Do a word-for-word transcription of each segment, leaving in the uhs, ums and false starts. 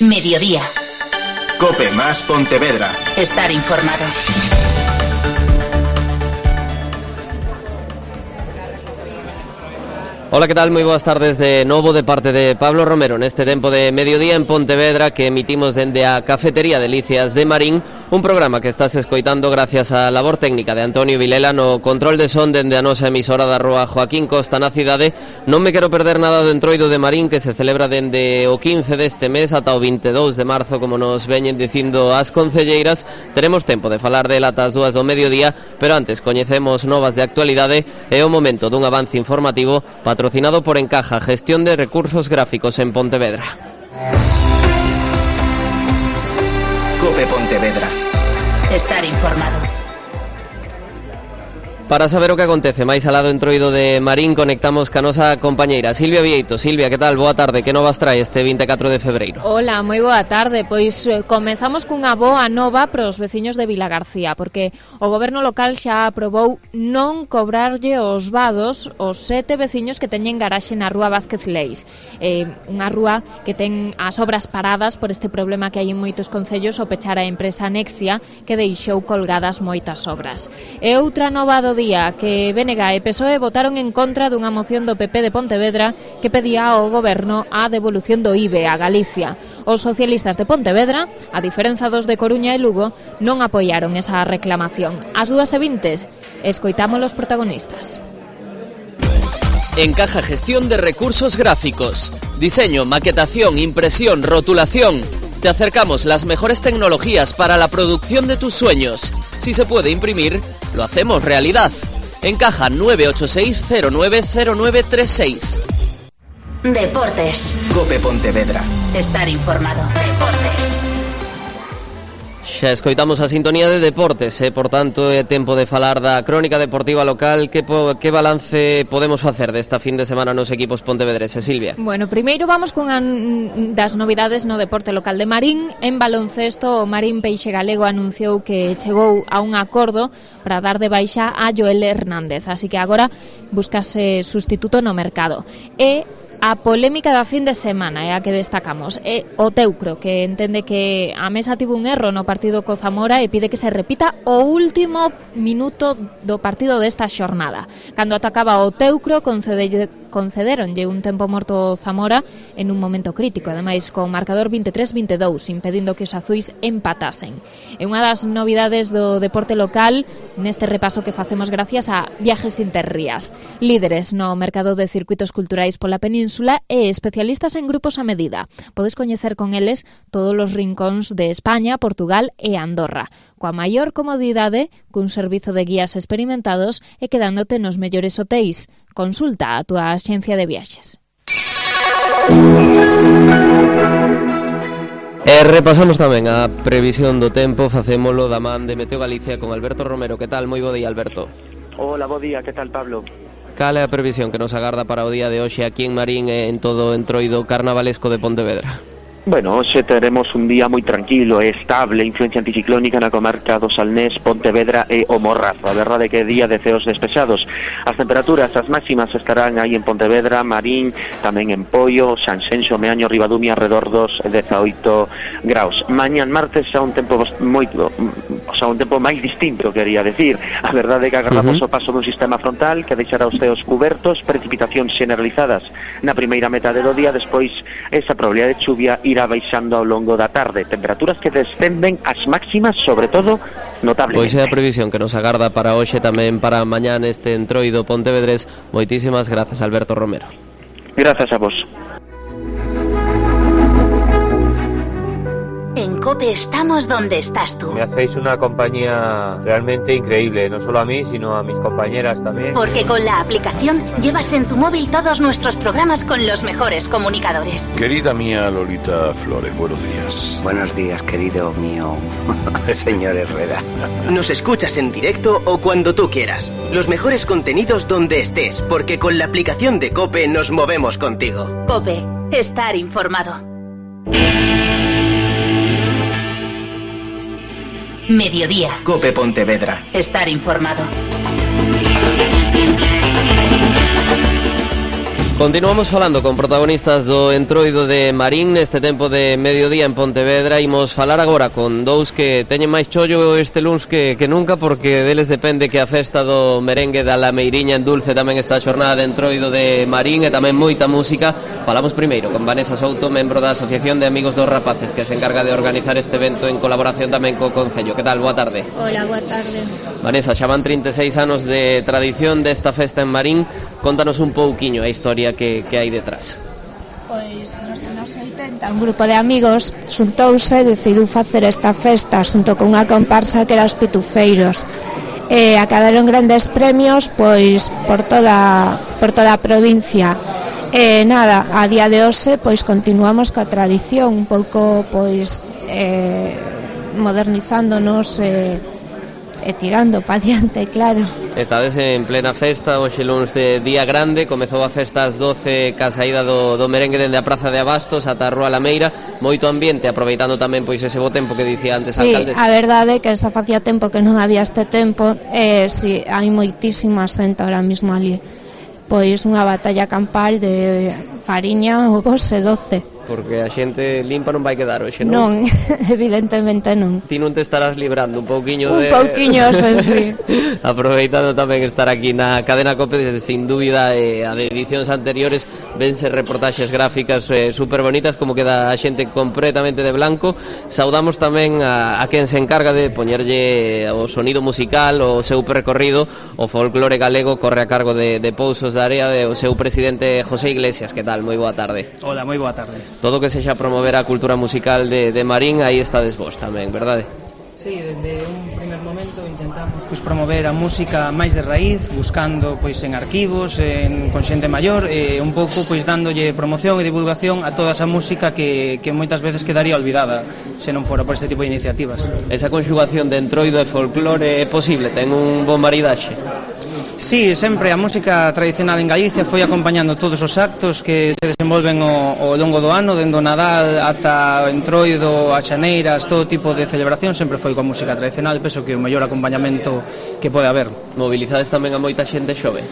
Mediodía. COPE más Pontevedra. Estar informado. Ola, que tal? Moi boas tardes de novo de parte de Pablo Romero neste tempo de mediodía en Pontevedra que emitimos dende a Cafetería Delicias de Marín, un programa que estás escoitando gracias á labor técnica de Antonio Vilela no control de son dende a nosa emisora da rúa Joaquín Costa na cidade. Non me quero perder nada do entroido de Marín que se celebra dende o quince deste mes ata o vinte e dous de marzo, como nos veñen dicindo as concelleiras. Teremos tempo de falar dela ata as dúas do mediodía, pero antes coñecemos novas de actualidade e o momento dun avance informativo patrocinado por Encaja, gestión de recursos gráficos en Pontevedra. COPE Pontevedra. Estar informado. Para saber o que acontece máis alá do entroido de Marín, conectamos ca nosa compañeira Silvia Vieito. Silvia, que tal? Boa tarde, que novas trae este vinte e catro de febreiro? Hola, moi boa tarde. Pois eh, comezamos cunha boa nova para os veciños de Vilagarcía, porque o goberno local xa aprobou non cobrarlle os vados aos sete veciños que teñen garaxe na rúa Vázquez Leis, eh, unha rúa que ten as obras paradas por este problema que hai en moitos concellos ao pechar a empresa Nexia, que deixou colgadas moitas obras. E outra nova do día que B N G e P S O E votaron en contra dunha moción do P P de Pontevedra que pedía ao goberno a devolución do I V E a Galicia. Os socialistas de Pontevedra, a diferenza dos de Coruña e Lugo, non apoiaron esa reclamación. Ás dúas e vinte, escoitamos os protagonistas. Encaja, gestión de recursos gráficos, diseño, maquetación, impresión, rotulación. Te acercamos las mejores tecnologías para la producción de tus sueños. Si se puede imprimir, lo hacemos realidad. Encaja nueve ocho seis cero nueve cero nueve tres seis. Deportes. COPE Pontevedra. Estar informado. Deportes. Xa escoitamos a sintonía de deportes, e, por tanto, é tempo de falar da crónica deportiva local. Que, po, que balance podemos facer desta fin de semana nos equipos pontevedreses, Silvia? Bueno, primeiro vamos cunha das novidades no deporte local de Marín. En baloncesto, o Marín Peixe Galego anunciou que chegou a un acordo para dar de baixa a Joel Hernández, así que agora buscase sustituto no mercado. E a polémica da fin de semana é a que destacamos. É o Teucro, que entende que a Mesa tivo un erro no partido co Zamora e pide que se repita o último minuto do partido desta xornada. Cando atacaba o Teucro, concede, concederonlle un tempo morto ao Zamora en un momento crítico, ademais con marcador vinte e tres a vinte e dous, impedindo que os azuis empatasen. É unha das novidades do deporte local neste repaso que facemos gracias a Viajes Interrías, líderes no mercado de circuitos culturais pola península e especialistas en grupos a medida. Podes coñecer con eles todos os rincóns de España, Portugal e Andorra, coa maior comodidade, cun servizo de guías experimentados e quedándote nos mellores hotéis. Consulta a túa axencia de viaxes. E repasamos tamén a previsión do tempo, facémolo da man de Meteo Galicia con Alberto Romero. Que tal? Moi bo día, Alberto. Hola, bo día, que tal, Pablo? Cal é a previsión que nos agarda para o día de hoxe aquí en Marín e en todo o entroido carnavalesco de Pontevedra? Bueno, hoxe teremos un día moi tranquilo e estable, influencia anticiclónica na comarca do Salnés, Pontevedra e o Morrazo. A verdade é que é día de ceos despexados. As temperaturas, as máximas estarán aí en Pontevedra, Marín, tamén en Poio, Sanxenxo, Meaño, Ribadumia, alrededor dos dezaoito graus. Mañán martes xa un tempo moito, o sea, un tempo máis distinto, quería decir. A verdade é que agardamos uh-huh. o paso dun sistema frontal que deixará os ceos cubertos, precipitacións generalizadas na primeira metade do día, despois esa probabilidade de chuvia irá baixando ao longo da tarde. Temperaturas que descenden as máximas, sobre todo, notablemente. Pois é a previsión que nos agarda para hoxe, tamén para mañá neste entroido pontevedrés. Moitísimas grazas, Alberto Romero. Grazas a vos. En COPE estamos donde estás tú. Me hacéis una compañía realmente increíble, no solo a mí, sino a mis compañeras también. Porque con la aplicación llevas en tu móvil todos nuestros programas con los mejores comunicadores. Querida mía Lolita Flores, buenos días. Buenos días, querido mío señor Herrera. Nos escuchas en directo o cuando tú quieras. Los mejores contenidos donde estés, porque con la aplicación de COPE nos movemos contigo. COPE, estar informado. Mediodía. COPE Pontevedra. Estar informado. Continuamos falando con protagonistas do Entroido de Marín neste tempo de mediodía en Pontevedra. Imos falar agora con dous que teñen máis chollo este luns que, que nunca, porque deles depende que a festa do merengue da Lameiriña en Dulce tamén esta xornada de Entroido de Marín e tamén moita música. Falamos primeiro con Vanessa Souto, membro da Asociación de Amigos dos Rapaces, que se encarga de organizar este evento en colaboración tamén co Concello. Que tal? Boa tarde. Hola, boa tarde. Vanessa, xa van trinta e seis anos de tradición desta festa en Marín. Contanos un pouquiño a historia que, que hai detrás. Pois nos anos oitenta un grupo de amigos xuntouse e decidiu facer esta festa xunto con unha comparsa que era os Pitufeiros. E acadaron grandes premios pois por toda por toda a provincia. E nada, a día de hoxe pois continuamos coa tradición, un pouco pois eh, modernizándonos e, e tirando pa diante, claro. Estades en plena festa, hoxe luns de día grande, comezou a festa ás doce ca saída do, do merengue dende a Praza de Abastos ata a Rúa Lameira, moito ambiente, aproveitando tamén pois ese bo tempo que dicía antes a sí, alcaldesa. A verdade é que xa facía tempo que non había este tempo, e si, hai moitísima xente ahora mismo ali. Pois unha batalla campal de fariña, ovos e doce. Porque a xente limpa non vai quedar hoxe, non? Non, evidentemente non. Ti non te estarás librando un pouquiño de... Un pouquiño, sí, sí. Aproveitando tamén estar aquí na cadena COPE, sin dúbida, eh, a de edicións anteriores vense reportaxes gráficas eh, super bonitas, como queda a xente completamente de blanco. Saudamos tamén a, a quen se encarga de poñerlle o sonido musical, o seu percorrido, o folclore galego, corre a cargo de, de Pousos da Area, de o seu presidente José Iglesias. Que tal? Moi boa tarde. Hola, moi boa tarde. Todo que sexa promover a cultura musical de, de Marín, aí estades vos tamén, verdade? Sí, desde un primer momento intentamos pois, promover a música máis de raíz, buscando pois en arquivos, en, con xente maior, e un pouco pois dándolle promoción e divulgación a toda esa música que, que moitas veces quedaría olvidada se non fora por este tipo de iniciativas. Esa conxugación de entroido e folclore é posible? Ten un bon maridaxe? Sí, sempre a música tradicional en Galicia foi acompañando todos os actos que se desenvolven ao, ao longo do ano, dende o Nadal ata o Entroido, a Xaneiras, todo tipo de celebración sempre foi coa música tradicional. Penso que o mellor acompañamento que pode haber. Mobilizades tamén a moita xente xove?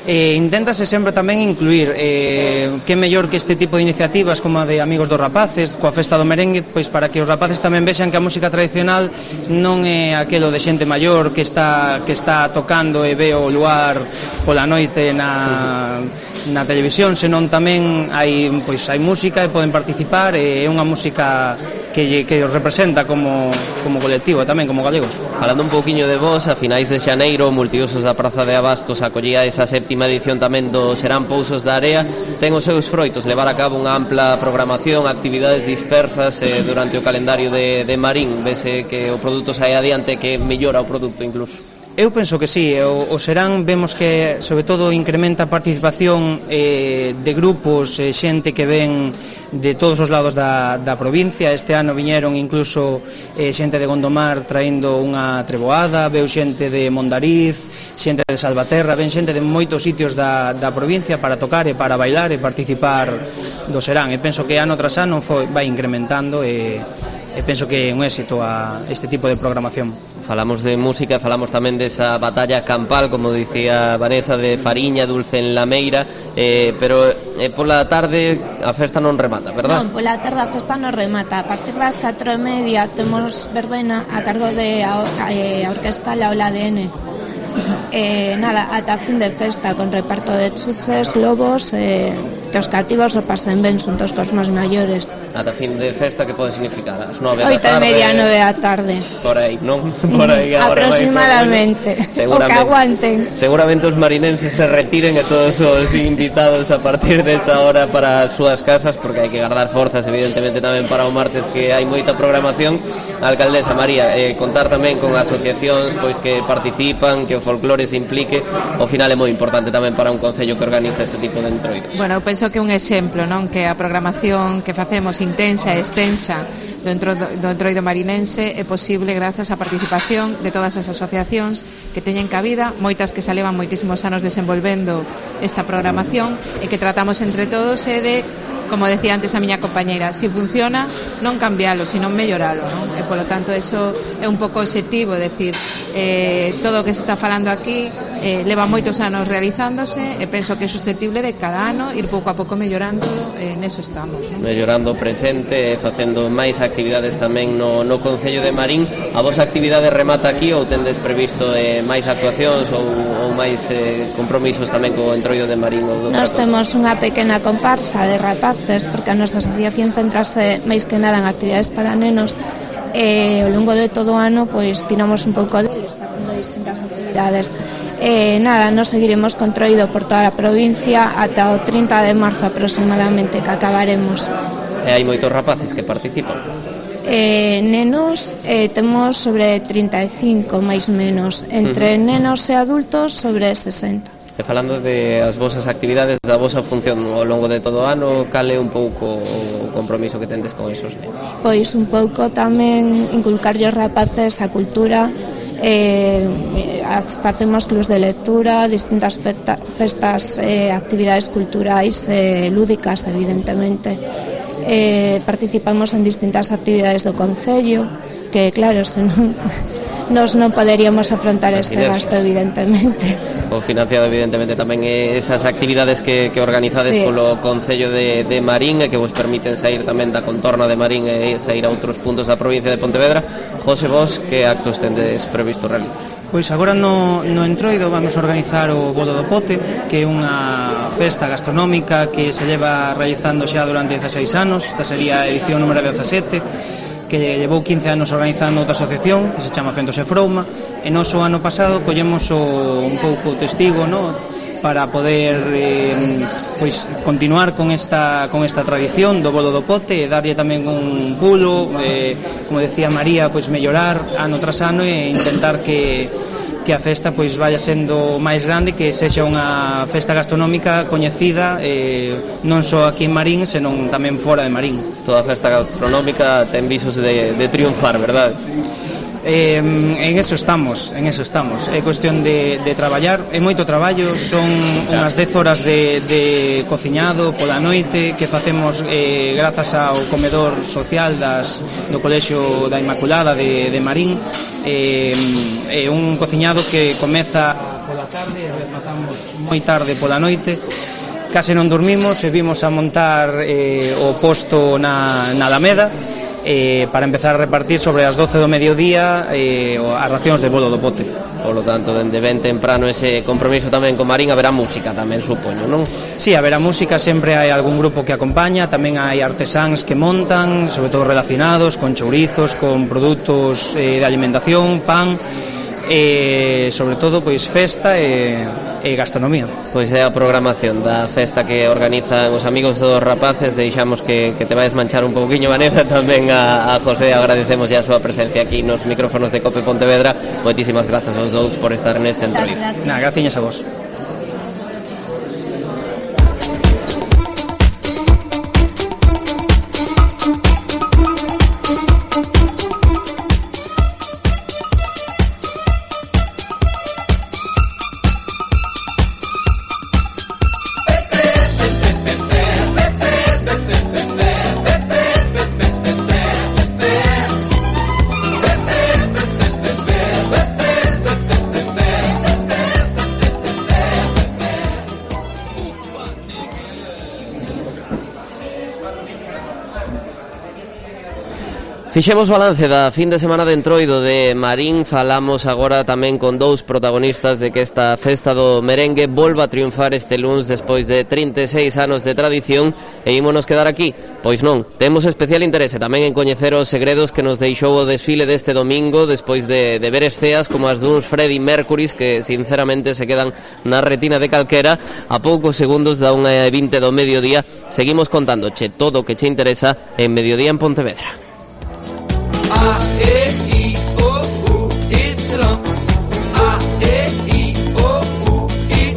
E inténtase sempre tamén incluir eh, que mellor que este tipo de iniciativas como a de Amigos dos Rapaces, coa festa do merengue, pois para que os rapaces tamén vexan que a música tradicional non é aquelo de xente maior que está que está tocando e ve o luar pola noite na, na televisión, senón tamén hai pois hai música e poden participar, e é unha música que, que os representa como, como colectivo tamén, como galegos. Falando un pouquiño de vos, a finais de xaneiro, Multiusos da Praza de Abastos acollía esa séptima edición tamén do Serán Pousos da Area. Ten os seus froitos levar a cabo unha ampla programación, actividades dispersas eh, durante o calendario de, de Marín. Vese que o produto sai adiante, que mellora o produto incluso. Eu penso que sí, o, o Serán vemos que sobre todo incrementa a participación eh, de grupos, eh, xente que ven de todos os lados da, da provincia. Este ano viñeron incluso eh, xente de Gondomar traendo unha treboada, veu xente de Mondariz, xente de Salvaterra, ven xente de moitos sitios da, da provincia para tocar e para bailar e participar do Serán. E penso que ano tras ano foi, vai incrementando e, e penso que é un éxito a este tipo de programación. Falamos de música, falamos tamén desa batalla campal, como dicía Vanessa, de fariña, dulce en Lameira, eh, pero eh, pola tarde a festa non remata, verdad? Non, pola tarde a festa non remata. A partir das catro e media temos verbena a cargo de a, a, a Orquesta La Ola de N. Eh, nada, ata fin de festa, con reparto de chuches, lobos, eh, que os cativos o pasen ben xuntos cos máis maiores. Ata fin de festa, que pode significar? As nove da tarde? Oito e media, nove da tarde. Por aí, non? Por aí agora aproximadamente, o que aguanten. Seguramente os marinenses se retiren e todos os invitados a partir desa hora para as súas casas, porque hai que guardar forzas, evidentemente, tamén para o martes, que hai moita programación. A alcaldesa María, eh, contar tamén con asociacións pois que participan, que o folclore se implique, ao final é moi importante tamén para un concello que organiza este tipo de entroidos. Bueno, eu penso que un exemplo, non, que a programación que facemos intensa e extensa do, entro, do entroido marinense é posible grazas á participación de todas as asociacións que teñen cabida, moitas que se levan moitísimos anos desenvolvendo esta programación e que tratamos entre todos e de, como decía antes a miña compañeira, si funciona, non cambialo, sino melloralo, non? E polo tanto eso é un pouco obxectivo, decir, eh, todo o que se está falando aquí eh, leva moitos anos realizándose e penso que é susceptible de cada ano ir pouco a pouco mellorando, e eh, neso estamos, non? Mellorando o presente, facendo máis actividades tamén no, no Concello de Marín. A vosa actividade remata aquí ou tendes previsto eh, máis actuacións ou, ou máis eh, compromisos tamén co Entroido de Marín? Ou Nos temos unha pequena comparsa de rapaces, porque a nosa asociación centrase máis que nada en actividades para nenos, e ao longo de todo o ano pois tiramos un pouco deles facendo distintas actividades. E nada, nos seguiremos con Entroido por toda a provincia ata o trinta de marzo aproximadamente, que acabaremos. E hai moitos rapaces que participan? Eh, nenos eh, temos sobre trinta e cinco máis menos, entre uh-huh. nenos e adultos sobre sesenta. E falando de as vosas actividades, da vosa función ao longo de todo o ano, cal é un pouco o compromiso que tendes con esos nenos? Pois un pouco tamén inculcarlle aos rapaces a cultura, eh, facemos clubs de lectura, distintas festa, festas, eh, actividades culturais eh, lúdicas, evidentemente. Eh, participamos en distintas actividades do Concello, que claro, senón nos non poderíamos afrontar ese gasto, evidentemente. O financiado, evidentemente, tamén esas actividades que, que organizades sí. polo Concello de, de Marín e que vos permiten sair tamén da contorna de Marín e sair a outros puntos da provincia de Pontevedra. José, vos, que actos tendes previsto realizar? Pois agora no, no Entroido vamos a organizar o Bolo do Pote, que é unha festa gastronómica que se leva realizando xa durante dezaseis anos. Esta sería a edición número dezasete, que levou quince anos organizando outra asociación que se chama Fentos e Frouma, e nos o ano pasado collemos o, un pouco o testigo, no? para poder eh, pois continuar con esta con esta tradición do Bolo do Pote e darlle tamén un pulo, eh, como decía María, pois mellorar ano tras ano e intentar que que a festa pois vaya sendo máis grande, que sexa unha festa gastronómica coñecida eh, non só aquí en Marín, senón tamén fora de Marín. Toda festa gastronómica ten visos de, de triunfar, verdade? Eh, en eso estamos, en eso estamos. É cuestión de, de traballar, é moito traballo, son unhas dez horas de, de cociñado pola noite que facemos eh, grazas ao comedor social das, do Colexio da Inmaculada de, de Marín. É eh, un cociñado que comeza pola tarde e rematamos moi tarde pola noite. Case non dormimos e vimos a montar eh, o posto na, na Alameda, Eh, para empezar a repartir sobre as doce do mediodía eh, as racións de Bolo do Pote. Por lo tanto, dende ben temprano ese compromiso tamén con Marín, haberá música tamén, supoño, non? Sí, haberá música, sempre hai algún grupo que acompaña, tamén hai artesáns que montan, sobre todo relacionados con chourizos, con produtos eh, de alimentación, pan, e sobre todo pois festa e, e gastronomía. Pois é a programación da festa que organizan os amigos dos rapaces. Deixamos que, que te vais manchar un pouquiño, Vanessa, tamén a, a José. Agradecemos ya a súa presencia aquí nos micrófonos de Cope Pontevedra. Moitísimas grazas aos dous por estar neste Entroido. Nah, gracias a vos. Fixemos balance da fin de semana de Entroido de Marín. Falamos agora tamén con dous protagonistas de que esta festa do merengue volva a triunfar este luns despois de trinta e seis anos de tradición. E ímonos quedar aquí? Pois non, temos especial interese tamén en coñecer os segredos que nos deixou o desfile deste domingo, despois de, de ver esceas como as duns Freddie Mercurys que sinceramente se quedan na retina de calquera. A poucos segundos da unha e vinte do mediodía seguimos contándoche todo o que che interesa en Mediodía en Pontevedra. A, E, I, O, U, Y. A, E, I, O, U, Y.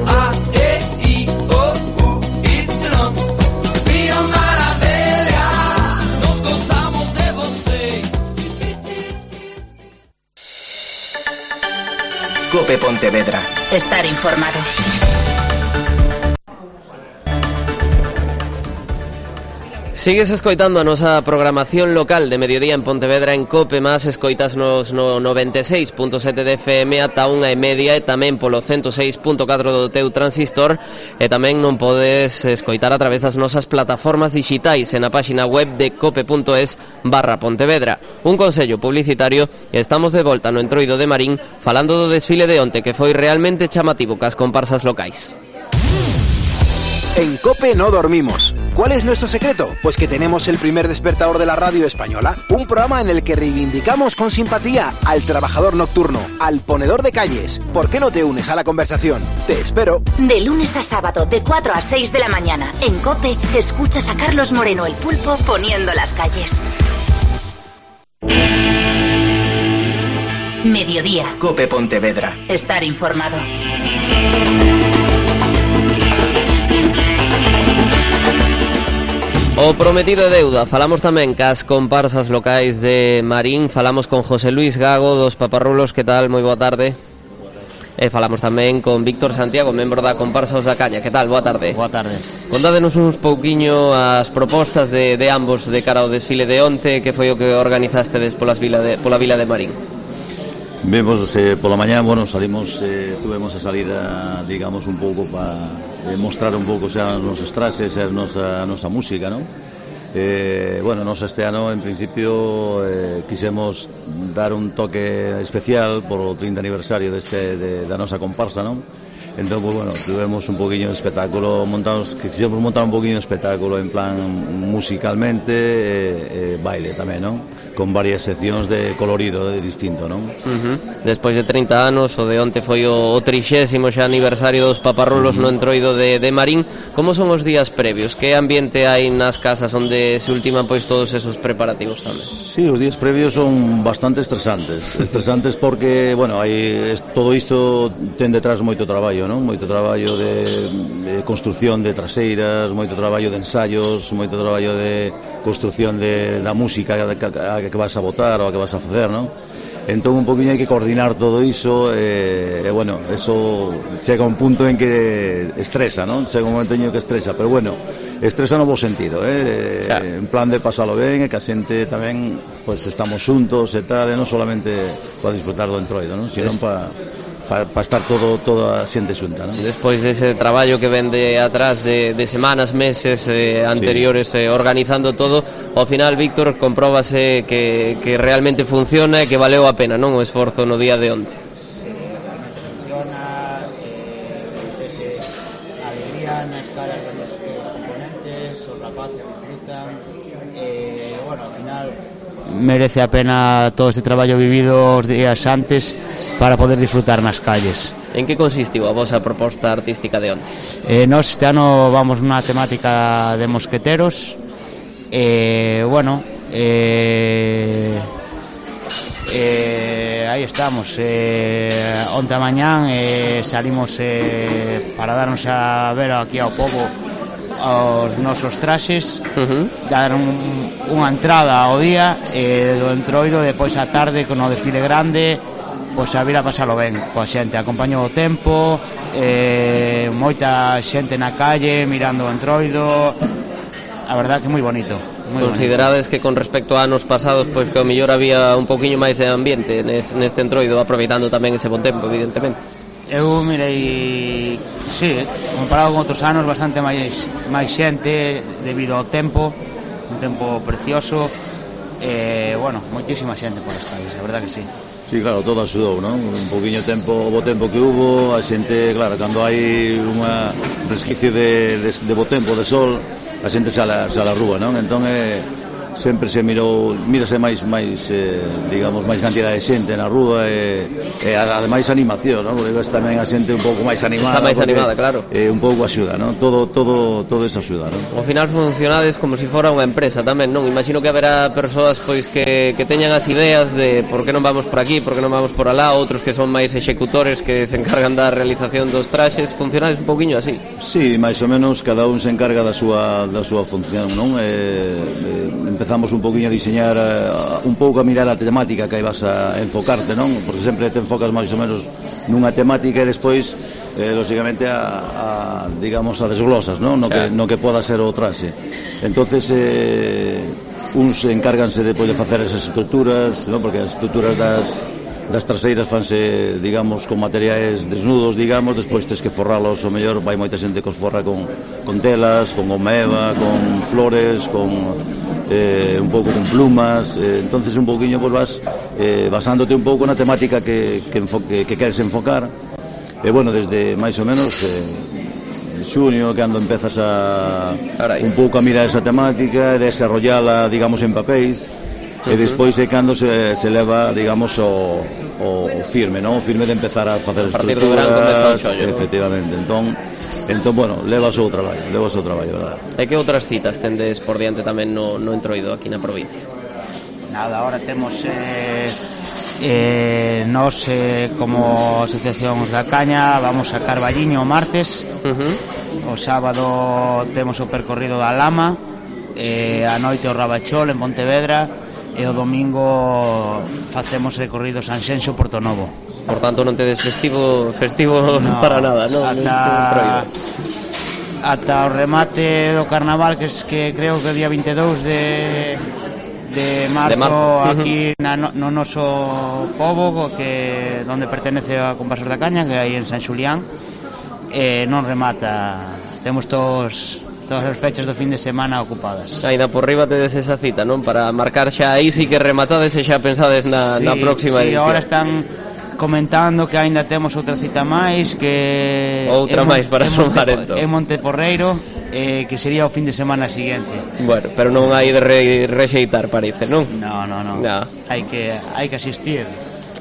A, E, I, O, U, Y. Rio Maravilha, nos gozamos de você. Cope Pontevedra. Estar informado. Sigues escoitando a nosa programación local de mediodía en Pontevedra en Cope Más, escoitas nos no noventa e seis punto sete de F M ata unha e media e tamén polo ciento seis punto catro do teu transistor, e tamén non podes escoitar a través das nosas plataformas digitais en a páxina web de cope punto es barra Pontevedra. Un consello publicitario, e estamos de volta no Entroido de Marín falando do desfile de onte, que foi realmente chamativo cas comparsas locais. En COPE no dormimos. ¿Cuál es nuestro secreto? Pues que tenemos el primer despertador de la radio española, un programa en el que reivindicamos con simpatía al trabajador nocturno, al ponedor de calles. ¿Por qué no te unes a la conversación? Te espero. De lunes a sábado, de cuatro a seis de la mañana, en COPE, escuchas a Carlos Moreno el Pulpo poniendo las calles. Mediodía. COPE Pontevedra. Estar informado. O prometido de deuda, falamos tamén cas comparsas locais de Marín, falamos con José Luis Gago dos Paparrulos, que tal? Moi boa tarde. E falamos tamén con Víctor Santiago, membro da comparsa Os da Caña, que tal? Boa tarde. Boa tarde. Contádenos uns pouquiño as propostas de, de ambos de cara ao desfile de onte, que foi o que organizastedes polas vila de, pola vila de Marín. Vemos eh, pola mañá, bueno, salimos, eh, tuvemos a salida, digamos, un pouco para eh, mostrar un pouco xa os nosos traxes e a nosa, a nosa música, non? Eh, bueno, nos este ano, en principio, eh, quisemos dar un toque especial por o trinta aniversario deste, de, da nosa comparsa, non? Entón, pues, bueno, tuvemos un poquinho de espectáculo, montamos, que quisemos montar un poquinho de espectáculo en plan musicalmente e, e baile tamén, non? Con varias seccións de colorido de distinto, non? Uh-huh. Despois de trinta anos, o de onte foi o, o trixésimo xa aniversario dos Paparrulos uh-huh. no Entroido de, de Marín. Como son os días previos? Que ambiente hai nas casas onde se ultiman pois todos esos preparativos tamén? Sí, os días previos son bastante estresantes. Estresantes porque, bueno, hai todo isto ten detrás moito traballo, non? Moito traballo de, de construción de traseiras, moito traballo de ensaios, moito traballo de construción de da música a que, que vas a votar ou a que vas a facer, non? Entón un poquinho hai que coordinar todo iso e, e bueno, eso chega un punto en que estresa, non? Chega un momento en que estresa, pero bueno, estresa no bo sentido, eh? Claro. En plan de pasalo ben e que a xente tamén pues estamos xuntos e tal, e non solamente para disfrutar do Entroido, non? Sino para para pa estar todo toda a xente xunta, non? Despois dese traballo que vende atrás de, de semanas, meses eh, anteriores sí. eh, organizando todo, ao final, Víctor, compróbase que, que realmente funciona e que valeu a pena, non? O esforzo no día de onte. Sí, funciona, eh, ese alegría nas caras dos componentes, os rapaces disfrutan, eh, bueno, ao final merece a pena todo este traballo vivido os días antes para poder disfrutar nas calles. En que consistiu a vosa proposta artística de onte? Eh, nos este ano vamos nunha temática de mosqueteros. Eh, bueno, eh, eh, aí estamos. Eh, onte a mañán eh, salimos eh, para darnos a ver aquí ao pobo aos nosos traxes, uh-huh. dar un, unha entrada ao día eh, do Entroido, depois a tarde con o desfile grande, pois a vir a pasalo ben coa xente, acompañou o tempo, eh, moita xente na calle mirando o Entroido, a verdad que moi bonito. Moi Considerades bonito. Que con respecto a anos pasados, pois que ao mellor había un poquinho máis de ambiente neste Entroido, aproveitando tamén ese bon tempo, evidentemente. Eu mirei, sí, comparado con outros anos, bastante máis máis xente debido ao tempo, un tempo precioso, e, eh, bueno, moitísima xente por as calles, a verdad que sí. Sí, claro, todo axudou, non? Un poquinho tempo, bo tempo que hubo, a xente, claro, cando hai unha resquicio de, de, de bo tempo, de sol, a xente sala, sala rúa, non? Entón, eh, sempre se mirou, mírase máis, máis eh, digamos, máis cantidad de xente na rúa e, e ademais animación, non? Porque ves tamén a xente un pouco máis animada. Está máis porque, animada, claro. Eh, un pouco axuda, non? Todo, todo, todo eso axuda, non? Ao final funcionades como se si fora unha empresa tamén, non? Imagino que haberá persoas pois que, que teñan as ideas de por que non vamos por aquí, por que non vamos por alá, outros que son máis executores que se encargan da realización dos traxes. Funcionades un pouquiño así? Sí, máis ou menos cada un se encarga da súa, da súa función, non? Eh, eh, empezamos un poquinho a diseñar uh, un pouco a mirar a temática que aí vas a enfocarte, non? Porque sempre te enfocas máis ou menos nunha temática e despois eh, lógicamente a, a digamos a desglosas, non? No que, no que poda ser o traxe. Entonces eh, uns encárganse depois de facer esas estruturas, non? Porque as estruturas das das traseiras fanse, digamos, con materiais desnudos, digamos, despois tes que forralos, o mellor vai moita xente que os forra con, con telas, con goma eva, con flores, con eh, un pouco con plumas, eh, entonces un pouquiño pues, vas eh, basándote un pouco na temática que, que, enfoque, que queres enfocar, e bueno, desde máis ou menos eh, xunio, cando empezas a un pouco a mirar esa temática e desarrollala, digamos, en papéis, e despois é cando se, se leva, digamos, o, o firme, non? O firme de empezar a facer estruturas, efectivamente. Entón, entón, bueno, leva o seu traballo, leva o seu traballo, verdad? E que outras citas tendes por diante tamén no, no Entroido aquí na provincia? Nada, ahora temos eh, eh, nos eh, como Asociación da Caña vamos a Carballiño o martes, uh-huh. O sábado temos o percorrido da Lama, eh, a noite o Rabachol en Pontevedra, e o domingo facemos recorrido Sanxenxo Porto Novo. Por tanto non tedes festivo festivo no, para nada, non? Ata, ata o remate do carnaval, que, es, que creo que o día vinte e dous de, de marzo, de marzo. Aquí uh-huh. na, no, no noso pobo, que donde pertenece a Comparsas da Caña, que hai en San Xulián, eh, non remata. Temos todos todas as fechas do fin de semana ocupadas. Ainda por riba tedes esa cita, non? Para marcar xa aí si que rematades e xa pensades na, sí, na próxima sí, edición. Ahora están comentando que aínda temos outra cita máis, que outra máis para sumar entón. En Monteporreiro, eh, que sería o fin de semana seguinte. Bueno, pero non hai de re, rexeitar, parece, non? No, no, no. no. Hai que hai que asistir.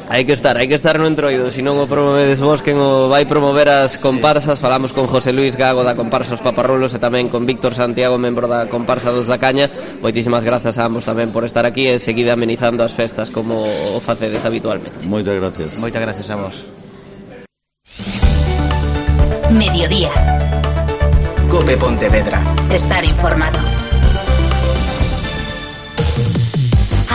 Hai que estar, hai que estar no Entroido, se non o promovedes vos, quen o vai promover as comparsas. Falamos con José Luis Gago da comparsa Os Paparrulos e tamén con Víctor Santiago, membro da comparsa dos da Caña. Moitísimas grazas a ambos tamén por estar aquí e seguir amenizando as festas como o facedes habitualmente. Moitas gracias. Moitas gracias a vos. Mediodía. Cope Pontevedra. Estar informado.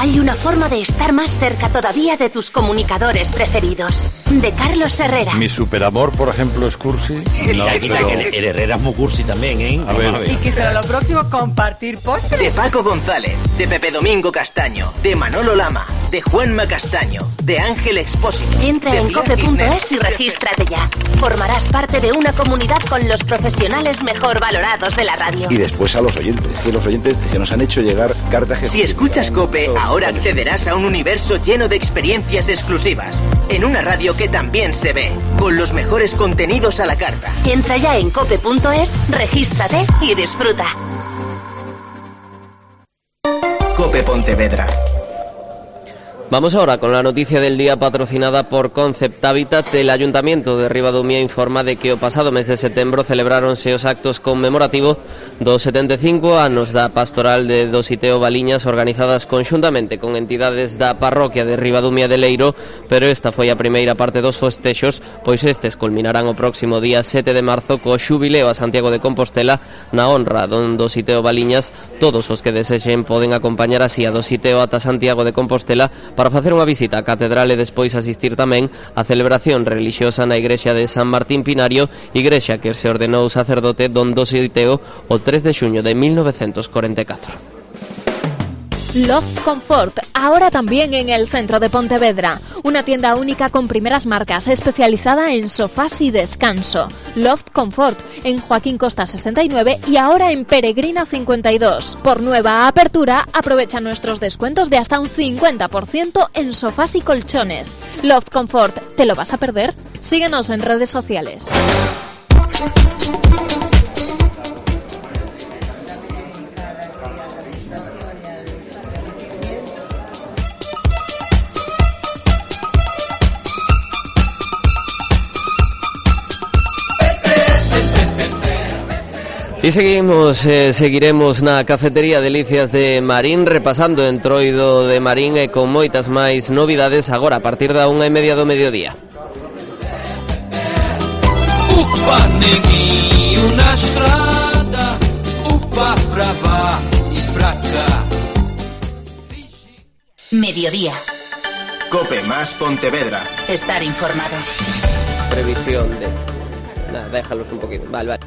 Hay una forma de estar más cerca todavía de tus comunicadores preferidos. De Carlos Herrera. Mi superamor, por ejemplo, es cursi. No, pero... El Herrera es muy cursi también, ¿eh? A ver. A ver. Y que será lo próximo compartir postres. De Paco González, de Pepe Domingo Castaño, de Manolo Lama, de Juanma Castaño, de Ángel Expósito. Entra en cope punto es y regístrate ya. Formarás parte de una comunidad con los profesionales mejor valorados de la radio. Y después a los oyentes, que los oyentes que nos han hecho llegar cartas. Si escuchas Cope, ahora accederás a un universo lleno de experiencias exclusivas. En una radio que también se ve, con los mejores contenidos a la carta. Entra ya en cope punto es, regístrate y disfruta. Cope Pontevedra. Vamos ahora con la noticia del día patrocinada por Concept Habitat. El Ayuntamiento de Ribadumia informa de que o pasado mes de setembro celebráronse os actos conmemorativos dos setenta e cinco anos da pastoral de Dositeo Baliñas, organizadas conxuntamente con entidades da parroquia de Ribadumia de Leiro, pero esta foi a primeira parte dos festexos, pois estes culminarán o próximo día sete de marzo co xubileo a Santiago de Compostela na honra don Dositeo Baliñas. Todos os que desexen poden acompañar así a Dositeo ata Santiago de Compostela para facer unha visita á catedral e despois asistir tamén á celebración relixiosa na igrexa de San Martín Pinario, igrexa que se ordenou sacerdote don Dositeo o tres de xuño de mil novecientos cuarenta e catro. Loft Comfort, ahora también en el centro de Pontevedra. Una tienda única con primeras marcas, especializada en sofás y descanso. Loft Comfort, en Joaquín Costa sesenta y nueve y ahora en Peregrina cincuenta y dos. Por nueva apertura, aprovecha nuestros descuentos de hasta un cincuenta por ciento en sofás y colchones. Loft Comfort, ¿te lo vas a perder? Síguenos en redes sociales. Y seguimos, eh, seguiremos na cafetería Delicias de Marín, repasando Entroido de Marín e con moitas máis novidades agora a partir da unha e media do mediodía. Upa negui, una estrada, upa pra lá e pra cá. Mediodía. Cope más Pontevedra. Estar informado. Previsión de... Nada, déjalos un poquito. Vale, vale.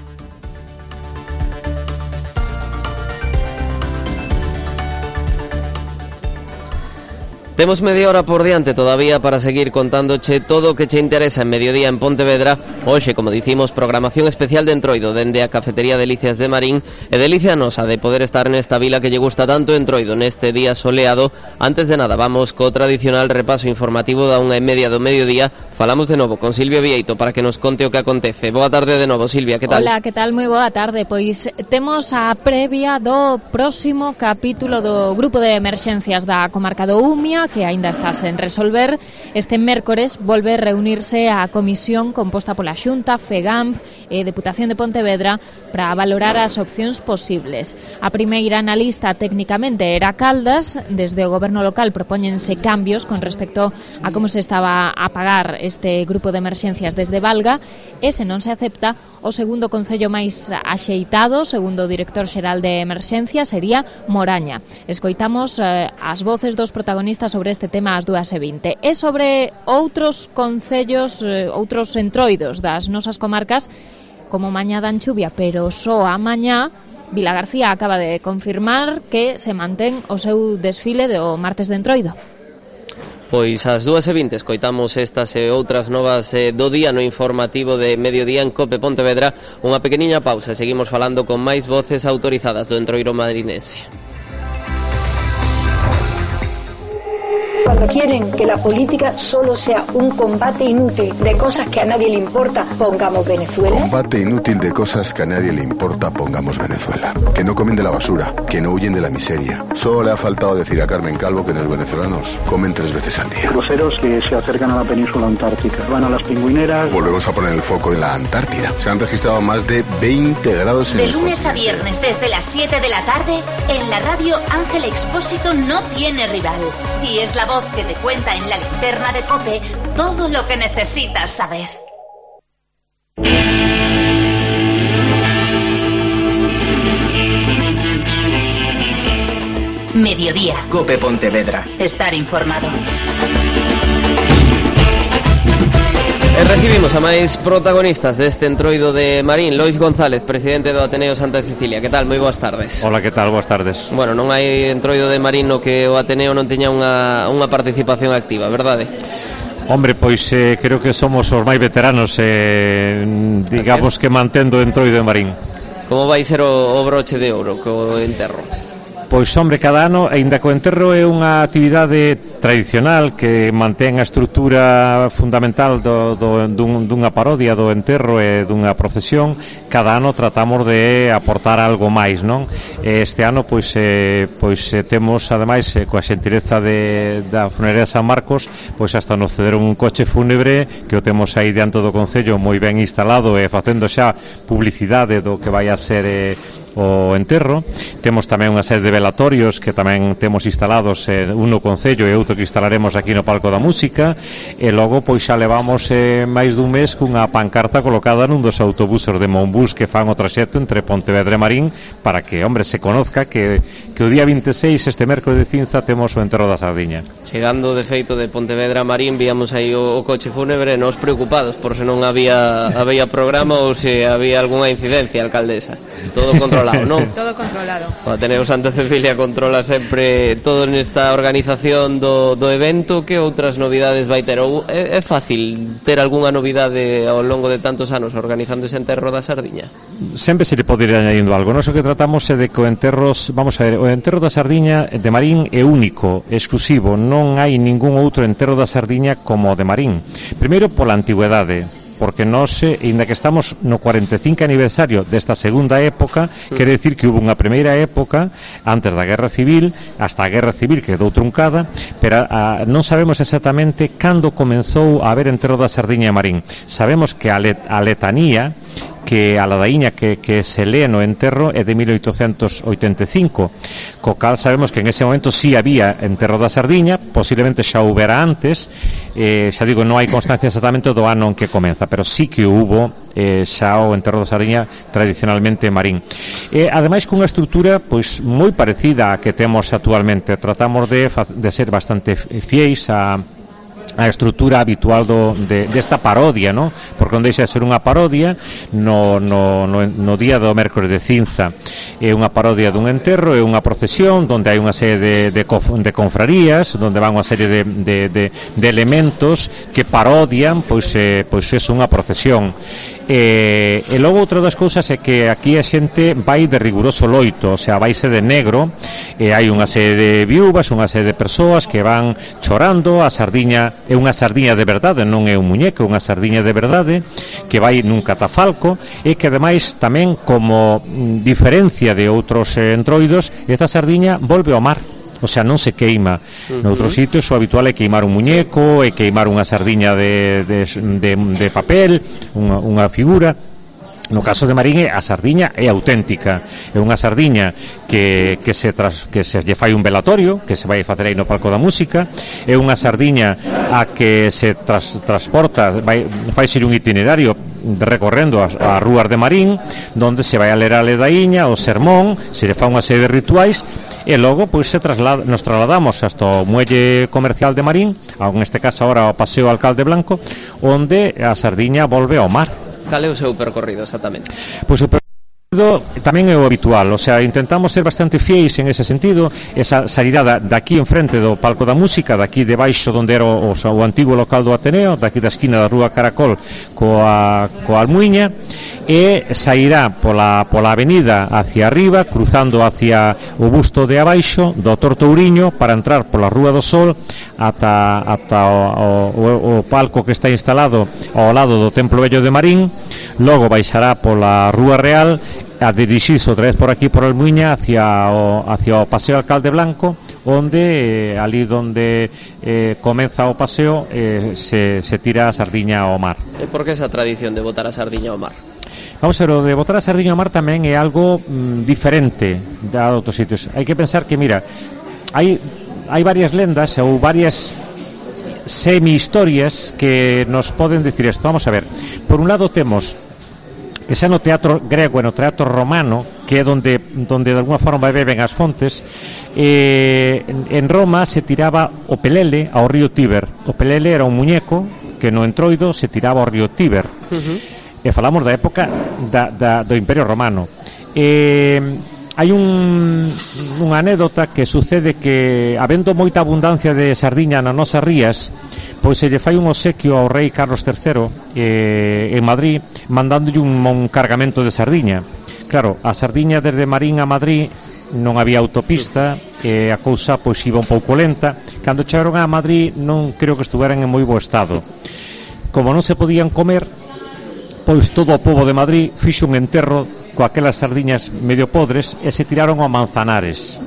Temos media hora por diante todavía para seguir contándoche todo o que che interesa en Mediodía en Pontevedra. Hoxe, como dicimos, programación especial de Entroido dende a Cafetería Delicias de Marín, e delicia nosa de poder estar nesta vila que lle gusta tanto Entroido neste día soleado. Antes de nada, vamos co tradicional repaso informativo da unha e media do mediodía. Falamos de novo con Silvia Vieito para que nos conte o que acontece. Boa tarde de novo, Silvia, que tal? Hola, que tal? Moi boa tarde. Pois temos a previa do próximo capítulo do Grupo de Emerxencias da Comarca do Umia, que aínda está sen resolver. Este mércores volve reunirse a comisión composta pola Xunta, FEGAMP e Deputación de Pontevedra para valorar as opcións posibles. A primeira na lista técnicamente era Caldas. Desde o goberno local propóñense cambios con respecto a como se estaba a pagar este grupo de emerxencias desde Valga, e se non se acepta, o segundo concello máis axeitado, segundo o director xeral de emerxencia, sería Moraña. Escoitamos eh, as voces dos protagonistas sobre este tema ás dúas e vinte. E sobre outros concellos, eh, outros entroidos das nosas comarcas, como mañá dan chuvia, pero só a mañá, Vilagarcía acaba de confirmar que se mantén o seu desfile do martes de Entroido. Pois ás dúas e vinte escoitamos estas e outras novas eh, do día no informativo de Mediodía en Cope Pontevedra. Unha pequeniña pausa e seguimos falando con máis voces autorizadas do entroiro madrinense. Cuando quieren que la política solo sea un combate inútil de cosas que a nadie le importa, pongamos Venezuela. Combate inútil de cosas que a nadie le importa, pongamos Venezuela. Que no comen de la basura, que no huyen de la miseria. Solo le ha faltado decir a Carmen Calvo que los venezolanos comen tres veces al día. Cruceros que se acercan a la península antártica. Van a las pingüineras. Volvemos a poner el foco en la Antártida. Se han registrado más de veinte grados en De el lunes a viernes desde las siete de la tarde, en la radio Ángel Expósito no tiene rival. Y es la voz que te cuenta en la linterna de COPE todo lo que necesitas saber. Mediodía. Cope Pontevedra. Estar informado. E recibimos a máis protagonistas deste entroido de Marín. Lois González, presidente do Ateneo Santa Cecilia. Que tal? Moi boas tardes. Hola, que tal? Boas tardes. Bueno, non hai entroido de Marín no que o Ateneo non teña unha, unha participación activa, verdade? Hombre, pois eh, creo que somos os máis veteranos, eh, digamos que mantendo o entroido de Marín. Como vai ser o, o broche de ouro co enterro? Pois, hombre, cada ano, aínda que o enterro é unha actividade tradicional que mantén a estrutura fundamental do, do, dun, dunha parodia do enterro e dunha procesión, cada ano tratamos de aportar algo máis, non? Este ano, pois, eh, pois eh, temos, ademais, eh, coa xentileza de, da Funeraria San Marcos, pois hasta nos cederon un coche fúnebre que o temos aí diante do Concello moi ben instalado e facendo xa publicidade do que vai a ser eh, o enterro. Temos tamén unha serie de velatorios que tamén temos instalados, eh, un no Concello e outro que instalaremos aquí no Palco da Música, e logo pois xa levamos eh, máis dun mes cunha pancarta colocada nun dos autobuses de Monbús que fan o traxecto entre Pontevedra e Marín para que, hombre, se conozca que, que o día vinte e seis, este mércoles de cinza, temos o enterro da Sardiña. Chegando de feito de Pontevedra a Marín, víamos aí o, o coche fúnebre, nos preocupados por se non había, había programa ou se había algunha incidencia, alcaldesa. Todo controlado, non? Todo controlado. O Ateneo Santa Cecilia controla sempre todo nesta organización do, do evento. Que outras novidades vai ter? Ou é, é fácil ter algunha novidade ao longo de tantos anos organizando ese enterro da Sardiña? Sempre se le pode ir añadindo algo. Nós o que tratamos é de que o enterros, vamos a ver, o enterro da Sardiña de Marín é único, exclusivo. Non hai ningún outro enterro da Sardiña como o de Marín. Primeiro, pola antigüedade, porque nós, ainda que estamos no cuarenta e cinco aniversario desta segunda época, mm. quere decir que hubo unha primeira época antes da Guerra Civil, hasta a Guerra Civil quedou truncada, pero a, non sabemos exactamente cando comenzou a haber enterro da Sardiña e Marín. Sabemos que a, let, a letanía que que a ladaíña que, que se lee no enterro é de mil oitocentos oitenta e cinco, co cal sabemos que en ese momento sí había enterro da sardiña, posiblemente xa houbera antes, eh, xa digo, non hai constancia exactamente do ano en que comeza, pero sí que hubo eh, xa o enterro da sardiña tradicionalmente marín. E ademais cunha estrutura pois moi parecida a que temos actualmente. Tratamos de, de ser bastante fiéis a a estrutura habitual do, de, desta parodia, ¿no? Porque non deixa de ser unha parodia no, no, no, no día do mércores de cinza. É unha parodia dun enterro, é unha procesión onde hai unha serie de, de, de confrarías, onde van unha serie de, de, de, de elementos que parodian, pois, eh, pois é unha procesión. E, e logo outra das cousas é que aquí a xente vai de riguroso loito, o sea, vaise de negro, e hai unha serie de viúvas, unha serie de persoas que van chorando. A sardiña é unha sardiña de verdade, non é un muñeco, é unha sardiña de verdade que vai nun catafalco, e que ademais tamén, como diferencia de outros eh, entroidos, esta sardiña volve ao mar. O sea, non se queima. Uh-huh. Noutros sitios o habitual é queimar un muñeco, é queimar unha sardiña de, de, de, de papel, unha, unha figura. No caso de Marín, a sardiña é auténtica. É unha sardiña que, que, se tras, que se lle fai un velatorio, que se vai facer aí no palco da música. É unha sardiña a que se tras, transporta, vai, fai ser un itinerario recorrendo as, as rúas de Marín, donde se vai a ler a ledaíña, o sermón, se lle fa unha serie de rituais, e logo pois se traslada, nos trasladamos hasta o muelle comercial de Marín, en este caso agora o Paseo Alcalde Blanco, onde a sardiña volve ao mar. Cal é o seu percorrido exactamente? Pois o percorrido tamén é o habitual, o sea, intentamos ser bastante fiéis en ese sentido. Esa sairá da, daqui enfrente do palco da música, daqui debaixo onde era o, o, o antigo local do Ateneo, daqui da esquina da rúa Caracol coa, coa Almuiña, e sairá pola, pola avenida hacia arriba, cruzando hacia o busto de abaixo do Tortouriño, para entrar pola Rúa do Sol ata, ata o, o, o palco que está instalado ao lado do Templo Vello de Marín. Logo baixará pola Rúa Real a dirixirse outra vez por aquí por Almuiña hacia o, hacia o Paseo Alcalde Blanco, onde eh, ali donde eh, comeza o paseo eh, se, se tira a sardiña ao mar. E por que esa tradición de botar a sardiña ao mar? Vamos a ver, o de botar a sardiña ao mar tamén é algo mm, diferente de outros sitios. Hai que pensar que, mira, hai, hai varias lendas ou varias semi-historias que nos poden decir isto. Vamos a ver, por un lado temos que xa no teatro grego e no teatro romano, que é donde, donde de alguna forma beben as fontes, eh, en Roma se tiraba o pelele ao río Tíber. O pelele era un muñeco que no entroido se tiraba ao río Tíber. Uh-huh. E falamos da época da, da, do Imperio Romano. Eh, hai un, unha anécdota que sucede que, habendo moita abundancia de sardiña nas nosas rías, pois se lle fai un obsequio ao rei Carlos terceiro eh, en Madrid, mandándolle un, un cargamento de sardiña. Claro, a sardiña desde Marín a Madrid non había autopista, e a cousa pois iba un pouco lenta. Cando chegaron a Madrid non creo que estuveran en moi bo estado. Como non se podían comer, pois todo o pobo de Madrid fixo un enterro coaquelas sardiñas medio podres e se tiraron ao Manzanares.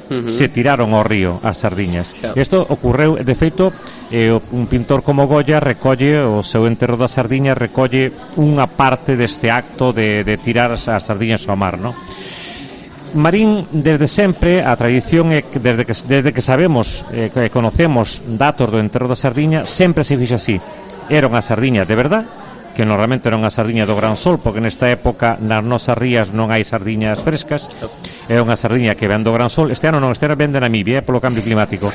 Uh-huh. Se tiraron ao río as sardiñas. Claro. Isto ocorreu, de feito, eh, un pintor como Goya recolle o seu enterro da sardiña, recolle unha parte deste acto de, de tirar as, as sardiñas ao mar, ¿no? Marín, desde sempre, a tradición é que desde que, desde que sabemos eh, que conocemos datos do enterro da sardiña, sempre se fixo así. Era unha sardiña de verdade, que normalmente non a sardiña do Gran Sol, porque nesta época nas nosas rías non hai sardiñas frescas. É unha sardiña que ven do Gran Sol. Este ano non, este ano ven de Namibia, eh, polo cambio climático.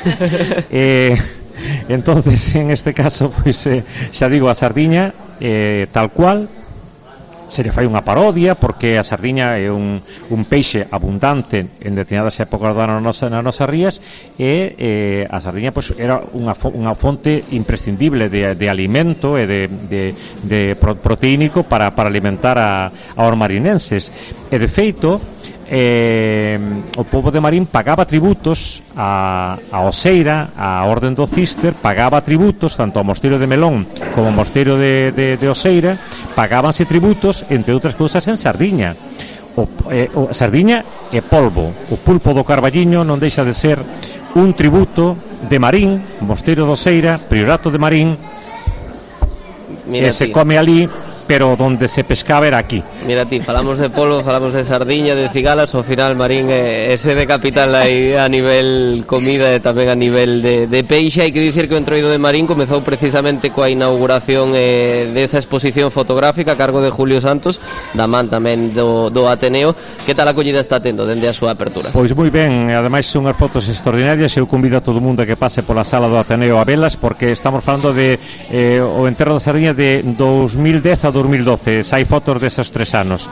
eh, entonces, en este caso, pois, eh, xa digo, a sardiña eh, tal cual, se lle fai unha parodia, porque a sardiña é un, un peixe abundante en determinadas épocas do ano nas nosas rías, e eh, a sardiña pois, era unha, fo, unha fonte imprescindible de, de alimento e de, de, de proteínico para, para alimentar a, aos marinenses. E de feito, eh, o pobo de Marín pagaba tributos a, a Oseira, a Orden do Cister, pagaba tributos tanto ao mosteiro de Melón como ao mosteiro de, de, de Oseira, pagábanse tributos, entre outras cousas, en sardiña. O, eh, o sardiña e polvo. O pulpo do Carballiño non deixa de ser un tributo de Marín, mosteiro de Oseira, priorato de Marín. Mira, e se come ali pero donde se pescaba era aquí. Mira ti, falamos de polvo, falamos de sardiña, de cigalas, ao final Marín é, é sede capital aí a nivel comida e tamén a nivel de, de peixe. Hai que dicir que o Entroido de Marín comezou precisamente coa inauguración eh, desa exposición fotográfica a cargo de Julio Santos, da man tamén do, do Ateneo. Que tal a acollida está tendo dende a súa apertura? Pois moi ben, ademais son unhas fotos extraordinarias. Eu convido a todo o mundo a que pase pola sala do Ateneo a velas, porque estamos falando de eh, o enterro da sardiña de dos mil dez a dos mil doce, hai fotos deses tres anos.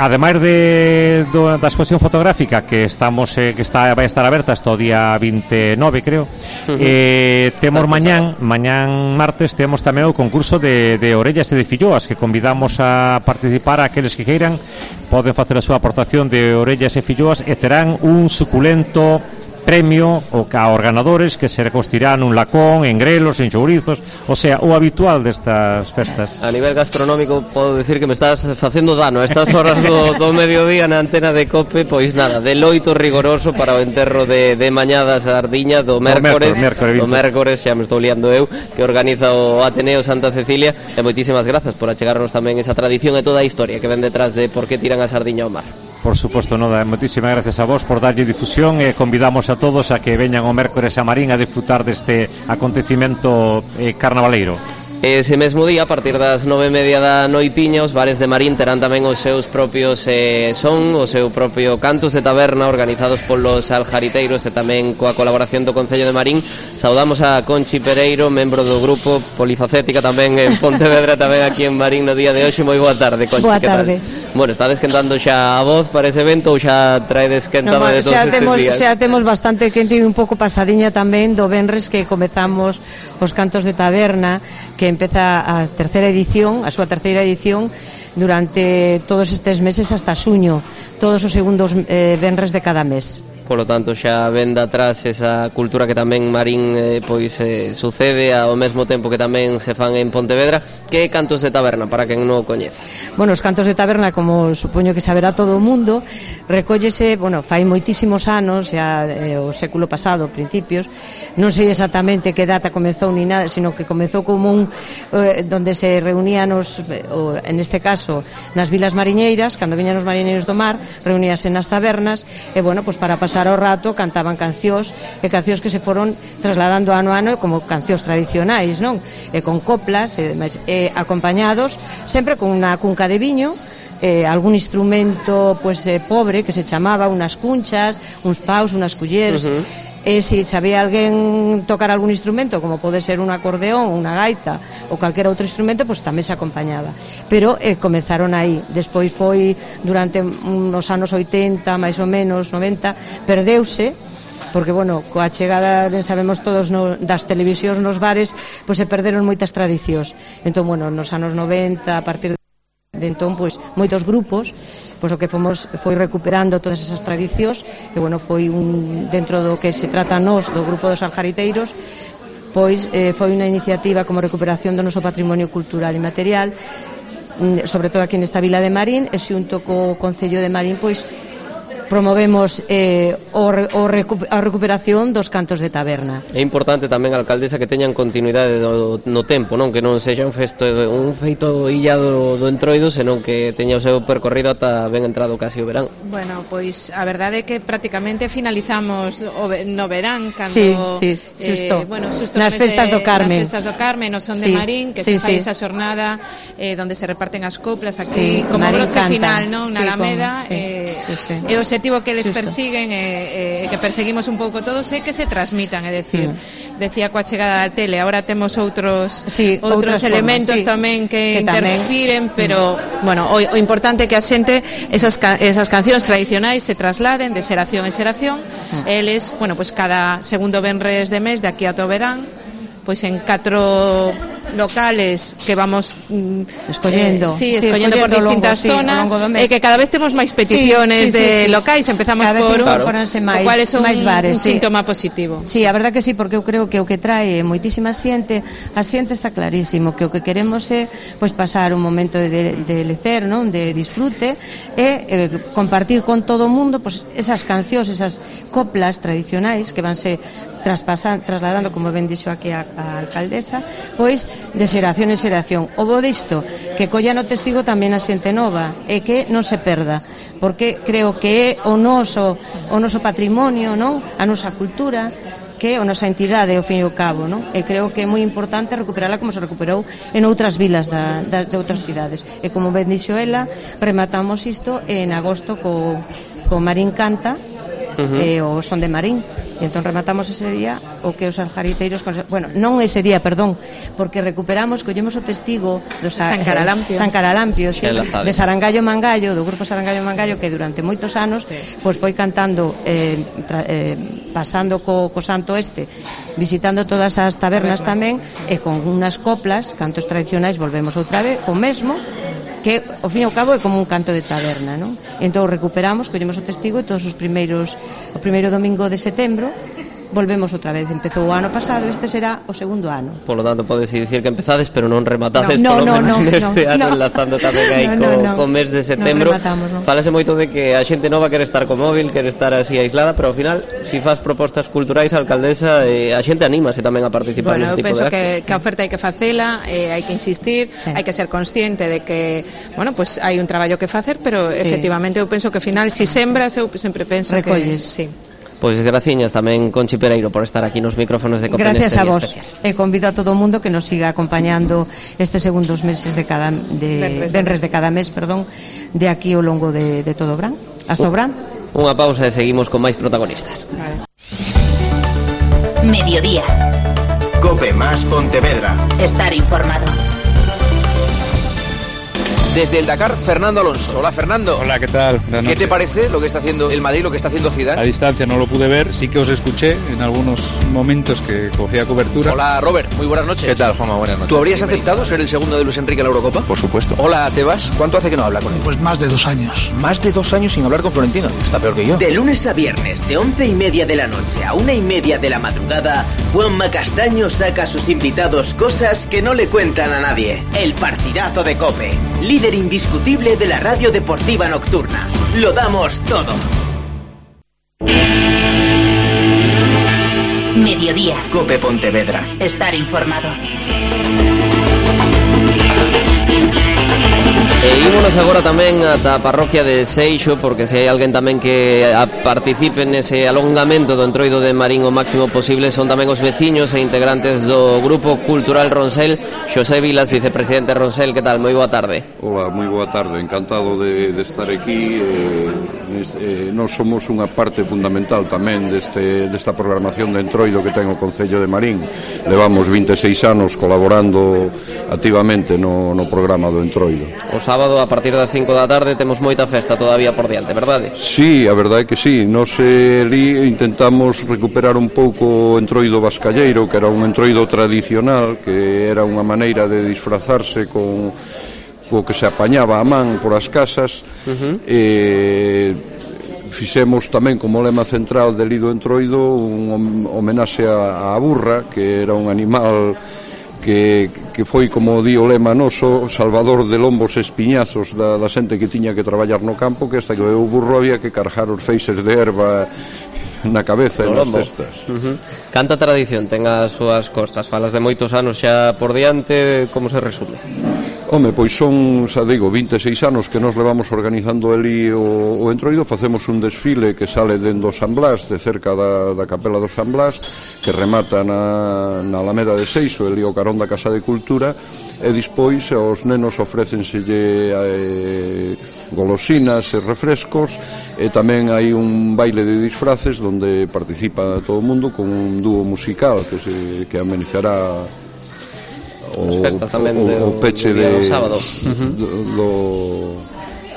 Ademais de, do, da exposición fotográfica que estamos eh, que está vai estar aberta hasta o día vinte e nove, creo. Uh-huh. Eh, temos mañán, mañán martes temos tamén o concurso de, de orellas e de filloas, que convidamos a participar a aqueles que queiran. Poden facer a súa aportación de orellas e filloas e terán un suculento premio o a organadores que se recostirán un lacón, en grelos, en chourizos, o sea, o habitual destas festas. A nivel gastronómico podo decir que me estás facendo dano a estas horas do, do mediodía na antena de COPE, pois nada, de loito rigoroso para o enterro de, de mañada sardiña do mércores, do mércores, xa me estou liando eu, que organiza o Ateneo Santa Cecilia, e moitísimas grazas por achegarnos tamén esa tradición e toda a historia que ven detrás de por que tiran a sardiña ao mar. Por suposto, Noda, moitísimas gracias a vos por darlle difusión e convidamos a todos a que veñan o mércores a Marín a disfrutar deste acontecimento eh, carnavaleiro. Ese mesmo día, a partir das nove e media da noitiña, os bares de Marín terán tamén os seus propios eh, son, o seu propio cantos de taberna organizados polos aljariteiros e tamén coa colaboración do Concello de Marín. Saudamos a Conchi Pereiro, membro do grupo polifacética tamén en Pontevedra, tamén aquí en Marín no día de hoxe. Moi boa tarde, Conchi. Boa tarde. Bueno, estades quentando xa a voz para ese evento ou xa traedes quentada no, de todos estes temos, días? Xa temos bastante quente e un pouco pasadiña tamén do venres que comezamos os cantos de taberna, que empeza a terceira edición, a súa terceira edición durante todos estes meses hasta xuño, todos os segundos eh, venres de cada mes. Polo tanto, xa ven de atrás esa cultura que tamén Marín eh, pois eh, sucede ao mesmo tempo que tamén se fan en Pontevedra. Que cantos de taberna, para quen non o coñeza? Bueno, os cantos de taberna, como supoño que saberá todo o mundo, recóllese, bueno, fai moitísimos anos, xa eh, o século pasado, principios, non sei exactamente que data comezou ni nada, sino que comezou como un eh, donde se reunían os, o, en este caso, nas vilas mariñeiras, cando viñan os mariñeiros do mar, reuníase nas tabernas, e bueno, pois para pasar ao rato cantaban cancións, e cancións que se foron trasladando ano a ano como cancións tradicionais, non? E con coplas, e, e acompañados sempre con unha cunca de viño, eh, algún instrumento pues, eh, pobre que se chamaba, unas cunchas, uns paus, unas culleres. Uh-huh. E se sabía alguén tocar algún instrumento, como pode ser un acordeón, unha gaita ou calquera outro instrumento, pois tamén se acompañaba. Pero eh, comezaron aí. Despois foi durante uns anos oitenta, máis ou menos, noventa, perdeuse, porque, bueno, coa chegada, ben sabemos todos, no, das televisións nos bares, pois se perderon moitas tradicións. Entón, bueno, nos anos noventa, a partir de de entón, pois, moitos grupos, pois o que fomos foi recuperando todas esas tradicións, e, bueno, foi un, dentro do que se trata nós, do grupo dos aljariteiros, pois eh, foi unha iniciativa como recuperación do noso patrimonio cultural e material, sobre todo aquí nesta vila de Marín, e xunto co Concello de Marín, pois, promovemos eh, o, o recu a recuperación dos cantos de taberna. É importante tamén, alcaldesa, que teñan continuidade do, no tempo, non? Que non sexa un, festo, un feito illado do entroido, senón que teña o seu percorrido ata ben entrado casi o verán. Bueno, pois a verdade é que prácticamente finalizamos o, no verán, cando sí, sí, xusto. Eh, bueno, xusto nas festas de, do Carmen, nas festas do Carmen, no son sí, de Marín, que sí, se fai sí. esa xornada eh, donde se reparten as coplas aquí, sí, como Marín broche canta. final, non? Na sí, Alameda, como, sí, eh, sí, sí. e o objetivo que les Xusto. persiguen e eh, eh, que perseguimos un pouco todos é que se transmitan, é decir, mm. decía coa chegada da tele, agora temos outros sí, outros elementos formas, sí. tamén que, que interfiren, tamén. pero mm. bueno, o, o importante é que a xente esas, esas cancións tradicionais se trasladen de xeración en xeración, mm. eles, bueno, pues cada segundo venres de mes de aquí a todo verán, pois en catro locales que vamos mm, escollendo, eh, sí, sí, escollendo por distintas longo, zonas, sí, e eh, que cada vez temos máis peticiones sí, sí, de sí, sí. locais, empezamos cada por un, claro. máis, o cual é un, máis bares, un sí. síntoma positivo. Sí, a verdad que sí, porque eu creo que o que trae moitísima xente, a xente está clarísimo que o que queremos é pois pasar un momento de, de, de lecer, non, de disfrute e eh, compartir con todo o mundo pois esas cancións, esas coplas tradicionais que vanse traspasan, trasladando, como ben dixo aquí a, a alcaldesa, pois de xeración en xeración. O bo disto, que colla no testigo tamén a xente nova e que non se perda, porque creo que é o noso, o noso patrimonio, non? A nosa cultura, que é a nosa entidade, ao fin e ao cabo, non? E creo que é moi importante recuperala como se recuperou en outras vilas da, da, de outras cidades. E como ben dixo ela, rematamos isto en agosto co, co Marín Canta, uh-huh. e o Son de Marín. E entón rematamos ese día o que os aljariteiros, bueno, non ese día, perdón, porque recuperamos, collemos o testigo do San Caralampio, San Caralampio, sí, de Sarangallo Mangallo, do grupo Sarangallo Mangallo, que durante moitos anos sí. pois foi cantando eh, tra, eh, pasando co, co Santo Este, visitando todas as tabernas tamén, sí. e con unhas coplas, cantos tradicionais, volvemos outra vez, o mesmo, que ao fin e ao cabo é como un canto de taberna, non? Entón recuperamos, collemos o testigo e todos os primeiros o primeiro domingo de setembro volvemos outra vez. Empezou o ano pasado, este será o segundo ano. Por lo tanto, podes dicir que empezades, pero non rematades, no, no, polo menos no, no, neste no, ano, no. enlazando tamén aí no, co, no, no. co mes de setembro. No rematamos, no. Falase moito de que a xente nova quere estar co móvil, quere estar así aislada, pero ao final, se si faz propostas culturais, a alcaldesa, eh, a xente anímase tamén a participar bueno, neste tipo penso de actos. Que, que a oferta hai que facela, eh, hai que insistir, sí. hai que ser consciente de que, bueno, pues hai un traballo que facer, pero sí. efectivamente eu penso que ao final, si sembras, eu sempre penso Recolles. que... Sí. Pois graciñas tamén, Conchi Pereiro, por estar aquí nos micrófonos de Cope Gracias neste a vos. especial. E convido a todo o mundo que nos siga acompañando estes segundos meses de cada de venres de cada mes, perdón, de aquí ao longo de, de todo o verán. Hasta o verán. Unha pausa e seguimos con máis protagonistas. Vale. Mediodía. Cope más Pontevedra. Estar informado. Desde el Dakar, Fernando Alonso. Hola, Fernando. Hola, ¿qué tal? Buenas ¿Qué te noches. parece lo que está haciendo el Madrid, lo que está haciendo Zidane? A distancia no lo pude ver, sí que os escuché en algunos momentos que cogía cobertura. Hola, Robert, muy buenas noches. ¿Qué tal, Juanma? Buenas noches. ¿Tú habrías aceptado ser el segundo de Luis Enrique en la Eurocopa? Por supuesto. Hola, Tebas. ¿Cuánto hace que no habla con él? Pues más de dos años. Más de dos años sin hablar con Florentino. Está peor que yo. De lunes a viernes, de once y media de la noche a una y media de la madrugada, Juanma Castaño saca a sus invitados cosas que no le cuentan a nadie. El partidazo de COPE, líder indiscutible de la radio deportiva nocturna. Lo damos todo. Mediodía. Cope Pontevedra. Estar informado. E ímonos agora tamén ata a parroquia de Seixo, porque se hai alguén tamén que a participe nese alongamento do entroido de Marín o máximo posible son tamén os veciños e integrantes do Grupo Cultural Ronsel. Xosé Vilas, vicepresidente Ronsel, que tal? Moi boa tarde. Hola, moi boa tarde, encantado de, de estar aquí. eh, eh, Nós somos unha parte fundamental tamén deste, desta programación de entroido que ten o Concello de Marín. Levamos vinte e seis anos colaborando activamente no, no programa do entroido. O sábado a partir das cinco da tarde temos moita festa todavía por diante, verdade? Sí, a verdade é que sí. Nos eh, li intentamos recuperar un pouco o entroido vascalleiro, que era un entroido tradicional, que era unha maneira de disfrazarse con co que se apañaba a man por as casas. Uh-huh. E fixemos tamén como lema central del Lido Entroido un homenaxe a, a burra, que era un animal que, que foi, como di o lema noso, salvador de lombos e espiñazos da, da xente que tiña que traballar no campo, que hasta que o burro había que cargar os feixes de erva na cabeza e nas cestas. Uh-huh. Canta tradición ten as súas costas, falas de moitos anos xa por diante, como se resume? Home, pois son, xa digo, vinte e seis anos que nos levamos organizando ali o, o entroido. Facemos un desfile que sale dentro do San Blas, de cerca da, da capela do San Blas, que remata na, na Alameda de Seixo, ali o carón da Casa de Cultura, e dispois os nenos ofrécenselle eh, golosinas e refrescos, e tamén hai un baile de disfraces onde participa todo o mundo con un dúo musical que, se, que amenizará as festas tamén o, de, o peche de, de, do sábado. Uh-huh. do, do...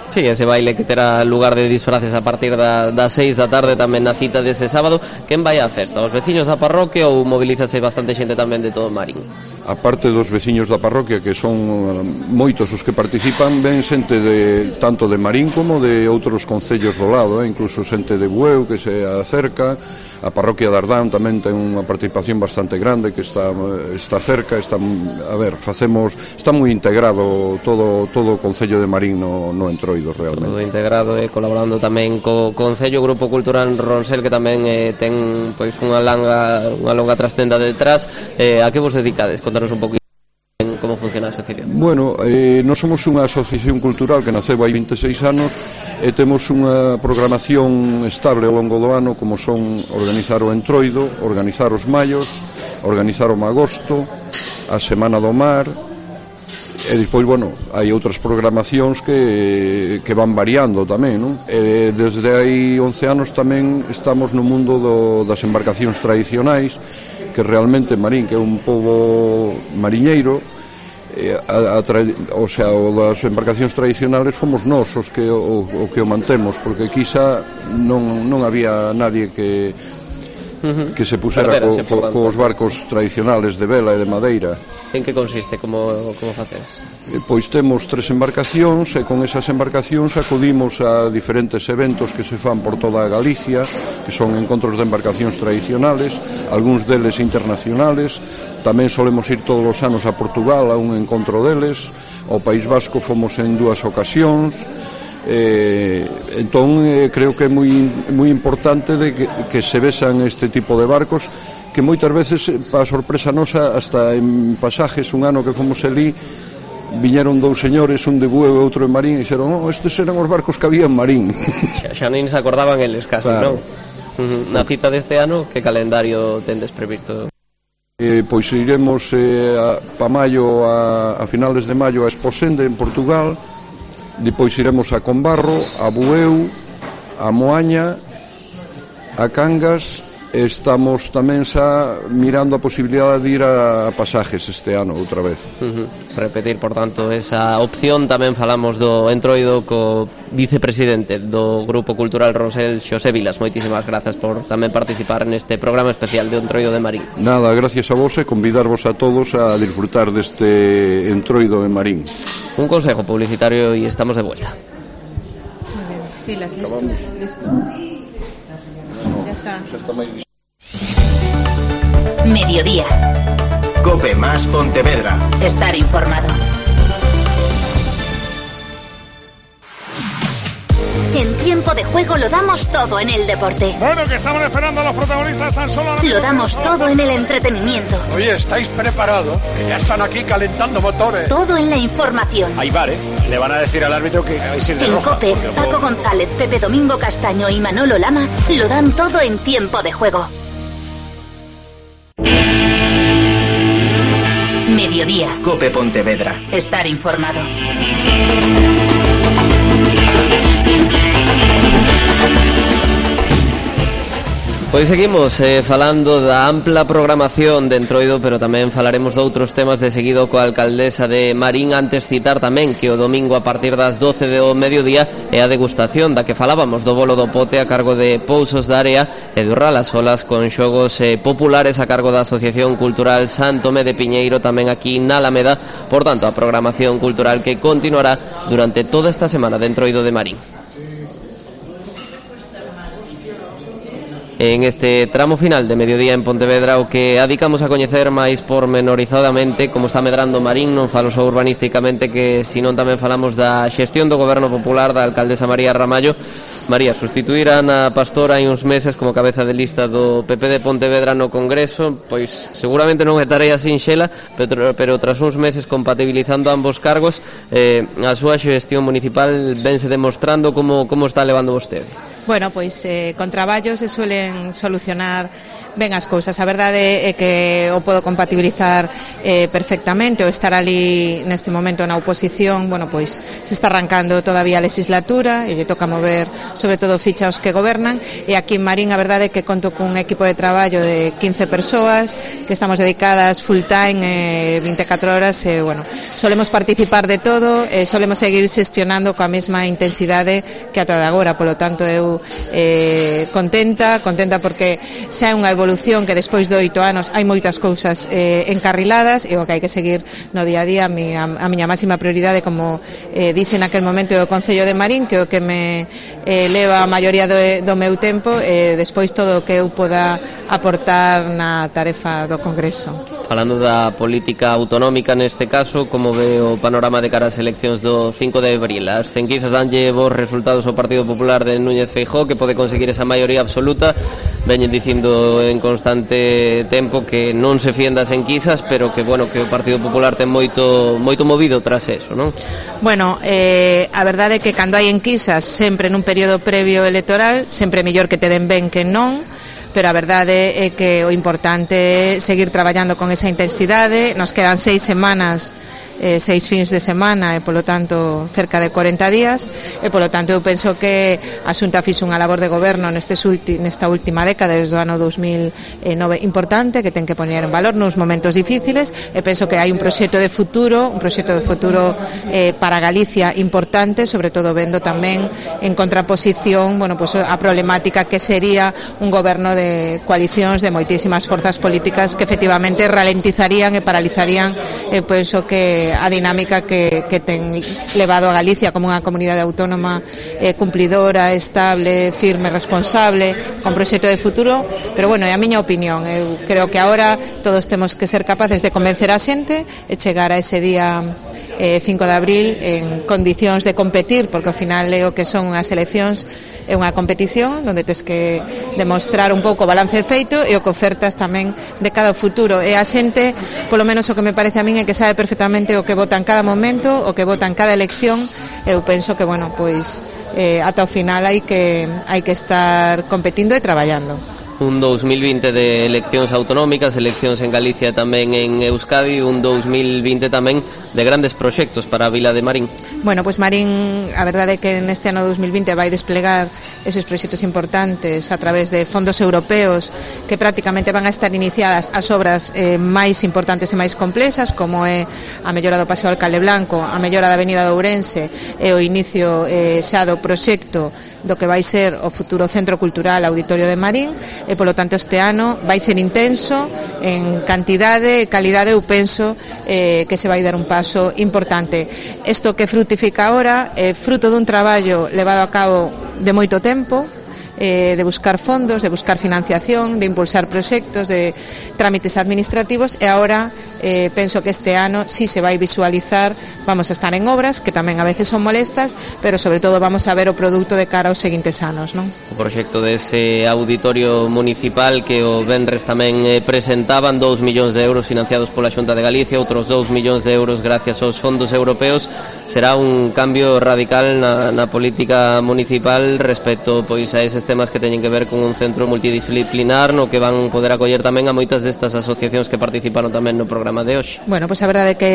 Sí, ese baile que terá lugar de disfraces a partir da, das seis da tarde tamén na cita dese sábado. Quen vai á festa? Os veciños da parroquia ou movilízase bastante xente tamén de todo Marín? aparte dos veciños da parroquia, que son moitos os que participan, ven xente de, tanto de Marín como de outros concellos do lado, eh? Incluso xente de Bueu que se acerca, a parroquia de Ardán tamén ten unha participación bastante grande que está está cerca, está, a ver, facemos, está moi integrado todo todo o concello de Marín no, no Entroido realmente. Todo integrado e eh, colaborando tamén co Concello Grupo Cultural Ronsel, que tamén eh, ten pois unha longa unha longa trastenda detrás. Eh, a que vos dedicades? Contanos un pouquinho como funciona a asociación. Bueno, eh, nós somos unha asociación cultural que naceu hai vinte e seis anos e temos unha programación estable ao longo do ano, como son organizar o Entroido, organizar os Mallos, organizar o Magosto, a Semana do Mar, e despois, bueno, hai outras programacións que, que van variando tamén, non? E desde hai once anos tamén estamos no mundo do, das embarcacións tradicionais, que realmente Marín, que é un pobo mariñeiro, eh, a, a tra... o sea, o das embarcacións tradicionales fomos nós os que o, o que o mantemos, porque quizá non, non había nadie que que se pusera co, co, cos barcos tradicionales de vela e de madeira. En que consiste? Como, como facedes? Pois temos tres embarcacións e con esas embarcacións acudimos a diferentes eventos que se fan por toda a Galicia, que son encontros de embarcacións tradicionales, algúns deles internacionales. Tamén solemos ir todos os anos a Portugal a un encontro deles. Ao País Vasco fomos en dúas ocasións. Eh, entón eh, creo que é moi, moi importante de que, que se vexan este tipo de barcos, que moitas veces, para sorpresa nosa, hasta en pasajes, un ano que fomos ali, viñeron dous señores, un de Bueu e outro de Marín, e dixeron, oh, estes eran os barcos que había en Marín. Xa, xa nin se acordaban eles casi, claro. Non? Uh-huh. Na cita deste ano, que calendario tendes previsto? Eh, pois iremos eh, a, pa maio, a, a finales de maio, a Esposende, en Portugal. Depois iremos a Combarro, a Bueu, a Moaña, a Cangas. Estamos tamén xa mirando a posibilidade de ir a pasajes este ano outra vez. Uh-huh. Repetir, por tanto, esa opción. Tamén falamos do Entroido co vicepresidente do Grupo Cultural Ronsel, Xosé Vilas. Moitísimas grazas por tamén participar neste programa especial de Entroido de Marín. Nada, gracias a vos e convidarvos a todos a disfrutar deste Entroido de Marín. Un consejo publicitario e estamos de vuelta. Muy bien. Pilas, listo. Listo. Ya está. Xa está máis listo. Mediodía. Cope más Pontevedra. Estar informado. En tiempo de juego lo damos todo en el deporte. Bueno, que estamos esperando a los protagonistas tan solo. Lo damos todo en el entretenimiento. Oye, ¿estáis preparados? Que ya están aquí calentando motores. Todo en la información. Hay bar, ¿eh? Le van a decir al árbitro que hay que ir de en roja. Cope, Paco González, Pepe Domingo Castaño y Manolo Lama lo dan todo en tiempo de juego. Mediodía. Cope Pontevedra. Estar informado. Pois seguimos eh, falando da ampla programación de Entroido, pero tamén falaremos de outros temas de seguido coa alcaldesa de Marín. Antes citar tamén que o domingo a partir das doce do mediodía é a degustación da que falábamos do bolo do pote a cargo de Pousos da Area e do Ralasolas, con xogos eh, populares a cargo da Asociación Cultural San Tomé de Piñeiro, tamén aquí na Alameda. Por tanto, a programación cultural que continuará durante toda esta semana de Entroido de Marín. En este tramo final de mediodía en Pontevedra, o que adicamos a coñecer máis pormenorizadamente como está medrando Marín. Non falo só urbanísticamente, que senón tamén falamos da xestión do goberno popular da alcaldesa María Ramallo. María, sustituir a Ana Pastor hai uns meses como cabeza de lista do P P de Pontevedra no Congreso, pois seguramente non é tarea sinxela, pero, pero tras uns meses compatibilizando ambos cargos, eh, a súa xestión municipal vense demostrando como, como está levando vostede. Bueno, pois eh, con traballos se suelen solucionar ben as cousas. A verdade é que o podo compatibilizar eh, perfectamente. O estar ali neste momento na oposición, bueno, pois se está arrancando todavía a legislatura e lle toca mover sobre todo ficha aos que gobernan, e aquí en Marín a verdade é que conto cun equipo de traballo de quince persoas que estamos dedicadas full time eh, vinte e catro horas e, bueno, solemos participar de todo e solemos seguir xestionando coa mesma intensidade que ata de agora. Polo tanto, eu eh, contenta, contenta porque xa é unha evolución evolución que despois de oito anos hai moitas cousas eh, encarriladas e o que hai que seguir no día a día. A miña, a miña máxima prioridade, como eh, dixe naquel momento, é o Concello de Marín, que é o que me eh, leva a maioría do, do meu tempo, e eh, despois todo o que eu poda aportar na tarefa do Congreso. Falando da política autonómica neste caso, como ve o panorama de cara ás eleccións do cinco de abril? As enquisas danlle bons resultados ao Partido Popular de Núñez Feijóo, que pode conseguir esa maioría absoluta. Veñen dicindo en constante tempo que non se fíen das enquisas, pero que, bueno, que o Partido Popular ten moito moito movido tras eso, non? Bueno, eh, a verdade é que cando hai enquisas, sempre nun período previo electoral, sempre é mellor que te den ben que non, pero a verdade é que o importante é seguir traballando con esa intensidade. Nos quedan seis semanas, eh, seis fins de semana e polo tanto cerca de corenta días, e polo tanto eu penso que a Xunta fixo unha labor de goberno nestes ulti, nesta última década, desde o ano dos mil nove, importante, que ten que poñer en valor nos momentos difíciles, e penso que hai un proxecto de futuro, un proxecto de futuro eh, para Galicia importante, sobre todo vendo tamén en contraposición, bueno, pues a problemática que sería un goberno de coalicións de moitísimas forzas políticas que efectivamente ralentizarían e paralizarían, eh, penso que a dinámica que, que ten levado a Galicia como unha comunidade autónoma eh, cumplidora, estable, firme, responsable, con proxecto de futuro. Pero bueno, é a miña opinión. Eu creo que agora todos temos que ser capaces de convencer a xente e chegar a ese día eh, cinco de abril en condicións de competir, porque ao final é o que son as eleccións, é unha competición onde tes que demostrar un pouco o balance feito e o que ofertas tamén de cada futuro. E a xente, polo menos o que me parece a min, é que sabe perfectamente o que vota en cada momento, o que vota en cada elección. Eu penso que, bueno, pois eh, ata o final hai que hai que estar competindo e traballando. Un dous mil vinte de eleccións autonómicas, eleccións en Galicia tamén en Euskadi, un dous mil vinte tamén de grandes proxectos para a vila de Marín. Bueno, pues Marín, a verdade é que neste ano dous mil vinte vai desplegar eses proxectos importantes a través de fondos europeos que prácticamente van a estar iniciadas as obras eh, máis importantes e máis complexas, como é a mellora do Paseo Alcalde Blanco, a mellora da Avenida de Ourense e o inicio eh, xa do proxecto do que vai ser o futuro Centro Cultural Auditorio de Marín, e polo tanto este ano vai ser intenso en cantidade e calidade. Eu penso eh, que se vai dar un paso importante. Isto que frutifica ahora é fruto dun traballo levado a cabo de moito tempo, eh, de buscar fondos, de buscar financiación, de impulsar proxectos, de trámites administrativos, e agora eh, penso que este ano sí se vai visualizar, vamos a estar en obras que tamén a veces son molestas, pero sobre todo vamos a ver o produto de cara aos seguintes anos, non? O proxecto dese auditorio municipal que o venres tamén eh, presentaban, dous millóns de euros financiados pola Xunta de Galicia, outros dous millóns de euros gracias aos fondos europeos, será un cambio radical na, na política municipal respecto pois a eses temas que teñen que ver con un centro multidisciplinar no que van poder acoller tamén a moitas destas asociacións que participaron tamén no programa de hoxe. Bueno, pois a verdade é que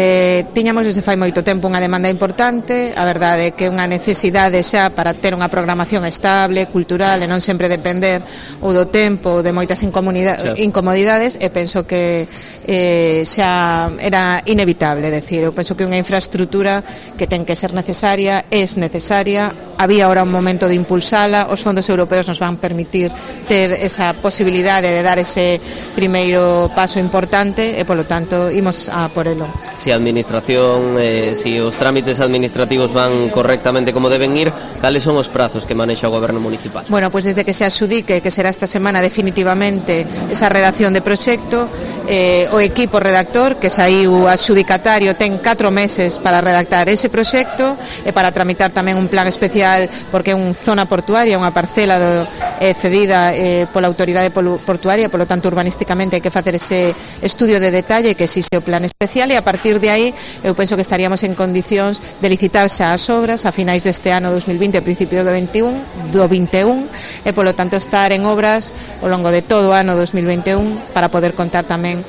tiñamos desde fai moito tempo unha demanda importante, a verdade é que unha necesidade xa para ter unha programación estable, cultural, e non sempre depender ou do tempo ou de moitas claro. incomodidades, e penso que eh, xa era inevitable, decir, eu penso que unha infraestructura que ten que ser necesaria, es necesaria, había ahora un momento de impulsala, os fondos europeos nos van permitir ter esa posibilidade de dar ese primeiro paso importante, e polo tanto imos a por elo. Si a administración, eh, si os trámites administrativos van correctamente como deben ir, cales son os prazos que manexa o goberno municipal? Bueno, pues desde que se adxudique, que será esta semana definitivamente, esa redacción de proxecto, eh, o equipo redactor, que saiu adxudicatario, ten catro meses para redactar ese proxecto e para tramitar tamén un plan especial, porque é unha zona portuaria, unha parcela do, eh, cedida eh, pola autoridade portuaria, polo tanto urbanísticamente hai que facer ese estudio de detalle que exixe o plan especial, e a partir de aí eu penso que estaríamos en condicións de licitarse as obras a finais deste ano dous mil vinte, a principios do veintiún, do vinte e un, e polo tanto estar en obras ao longo de todo o ano dous mil vinte e un para poder contar tamén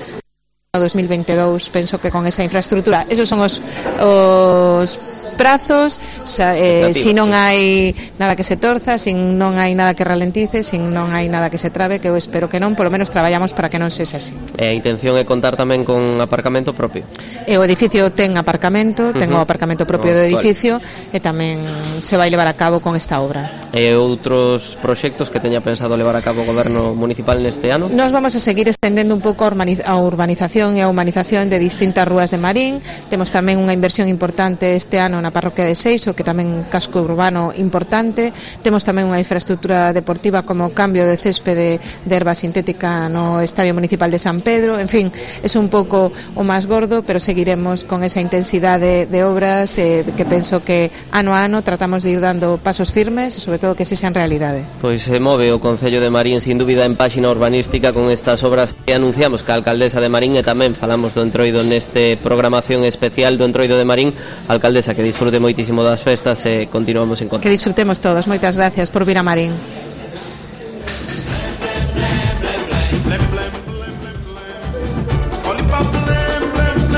no dous mil veintidós, penso que con esa infraestructura. Esos son os, os prazos, sa, eh, si non hai nada que se torza, si non hai nada que ralentice, si non hai nada que se trabe, que eu espero que non, polo menos traballamos para que non sexa así. E a intención é contar tamén con aparcamento propio? E o edificio ten aparcamento, ten uh-huh. o aparcamento propio oh, do edificio vale. E tamén se vai levar a cabo con esta obra. E outros proxectos que teña pensado levar a cabo o Goberno Municipal neste ano? Nos vamos a seguir estendendo un pouco a urbanización e a humanización de distintas rúas de Marín. Temos tamén unha inversión importante este ano na parroquia de Seixo, que tamén casco urbano importante. Temos tamén unha infraestructura deportiva como cambio de céspede de erva sintética no Estadio Municipal de San Pedro. En fin, é un pouco o máis gordo, pero seguiremos con esa intensidade de obras eh, que penso que ano a ano tratamos de ir dando pasos firmes e sobre todo que se sean realidade. Pois se move o Concello de Marín sin dúbida en páxina urbanística con estas obras que anunciamos que a alcaldesa de Marín, e tamén falamos do Entroido neste programación especial do Entroido de Marín. Alcaldesa, que disfrute moitísimo das festas e continuamos en contacto. Que disfrutemos todos, moitas gracias por vir a Marín.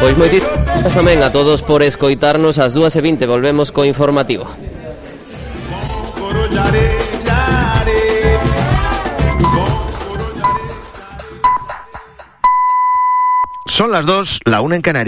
Pois moitísimas tamén a todos por escoitarnos. Ás dúas e vinte volvemos co informativo. Son las dos, la una en Canarias.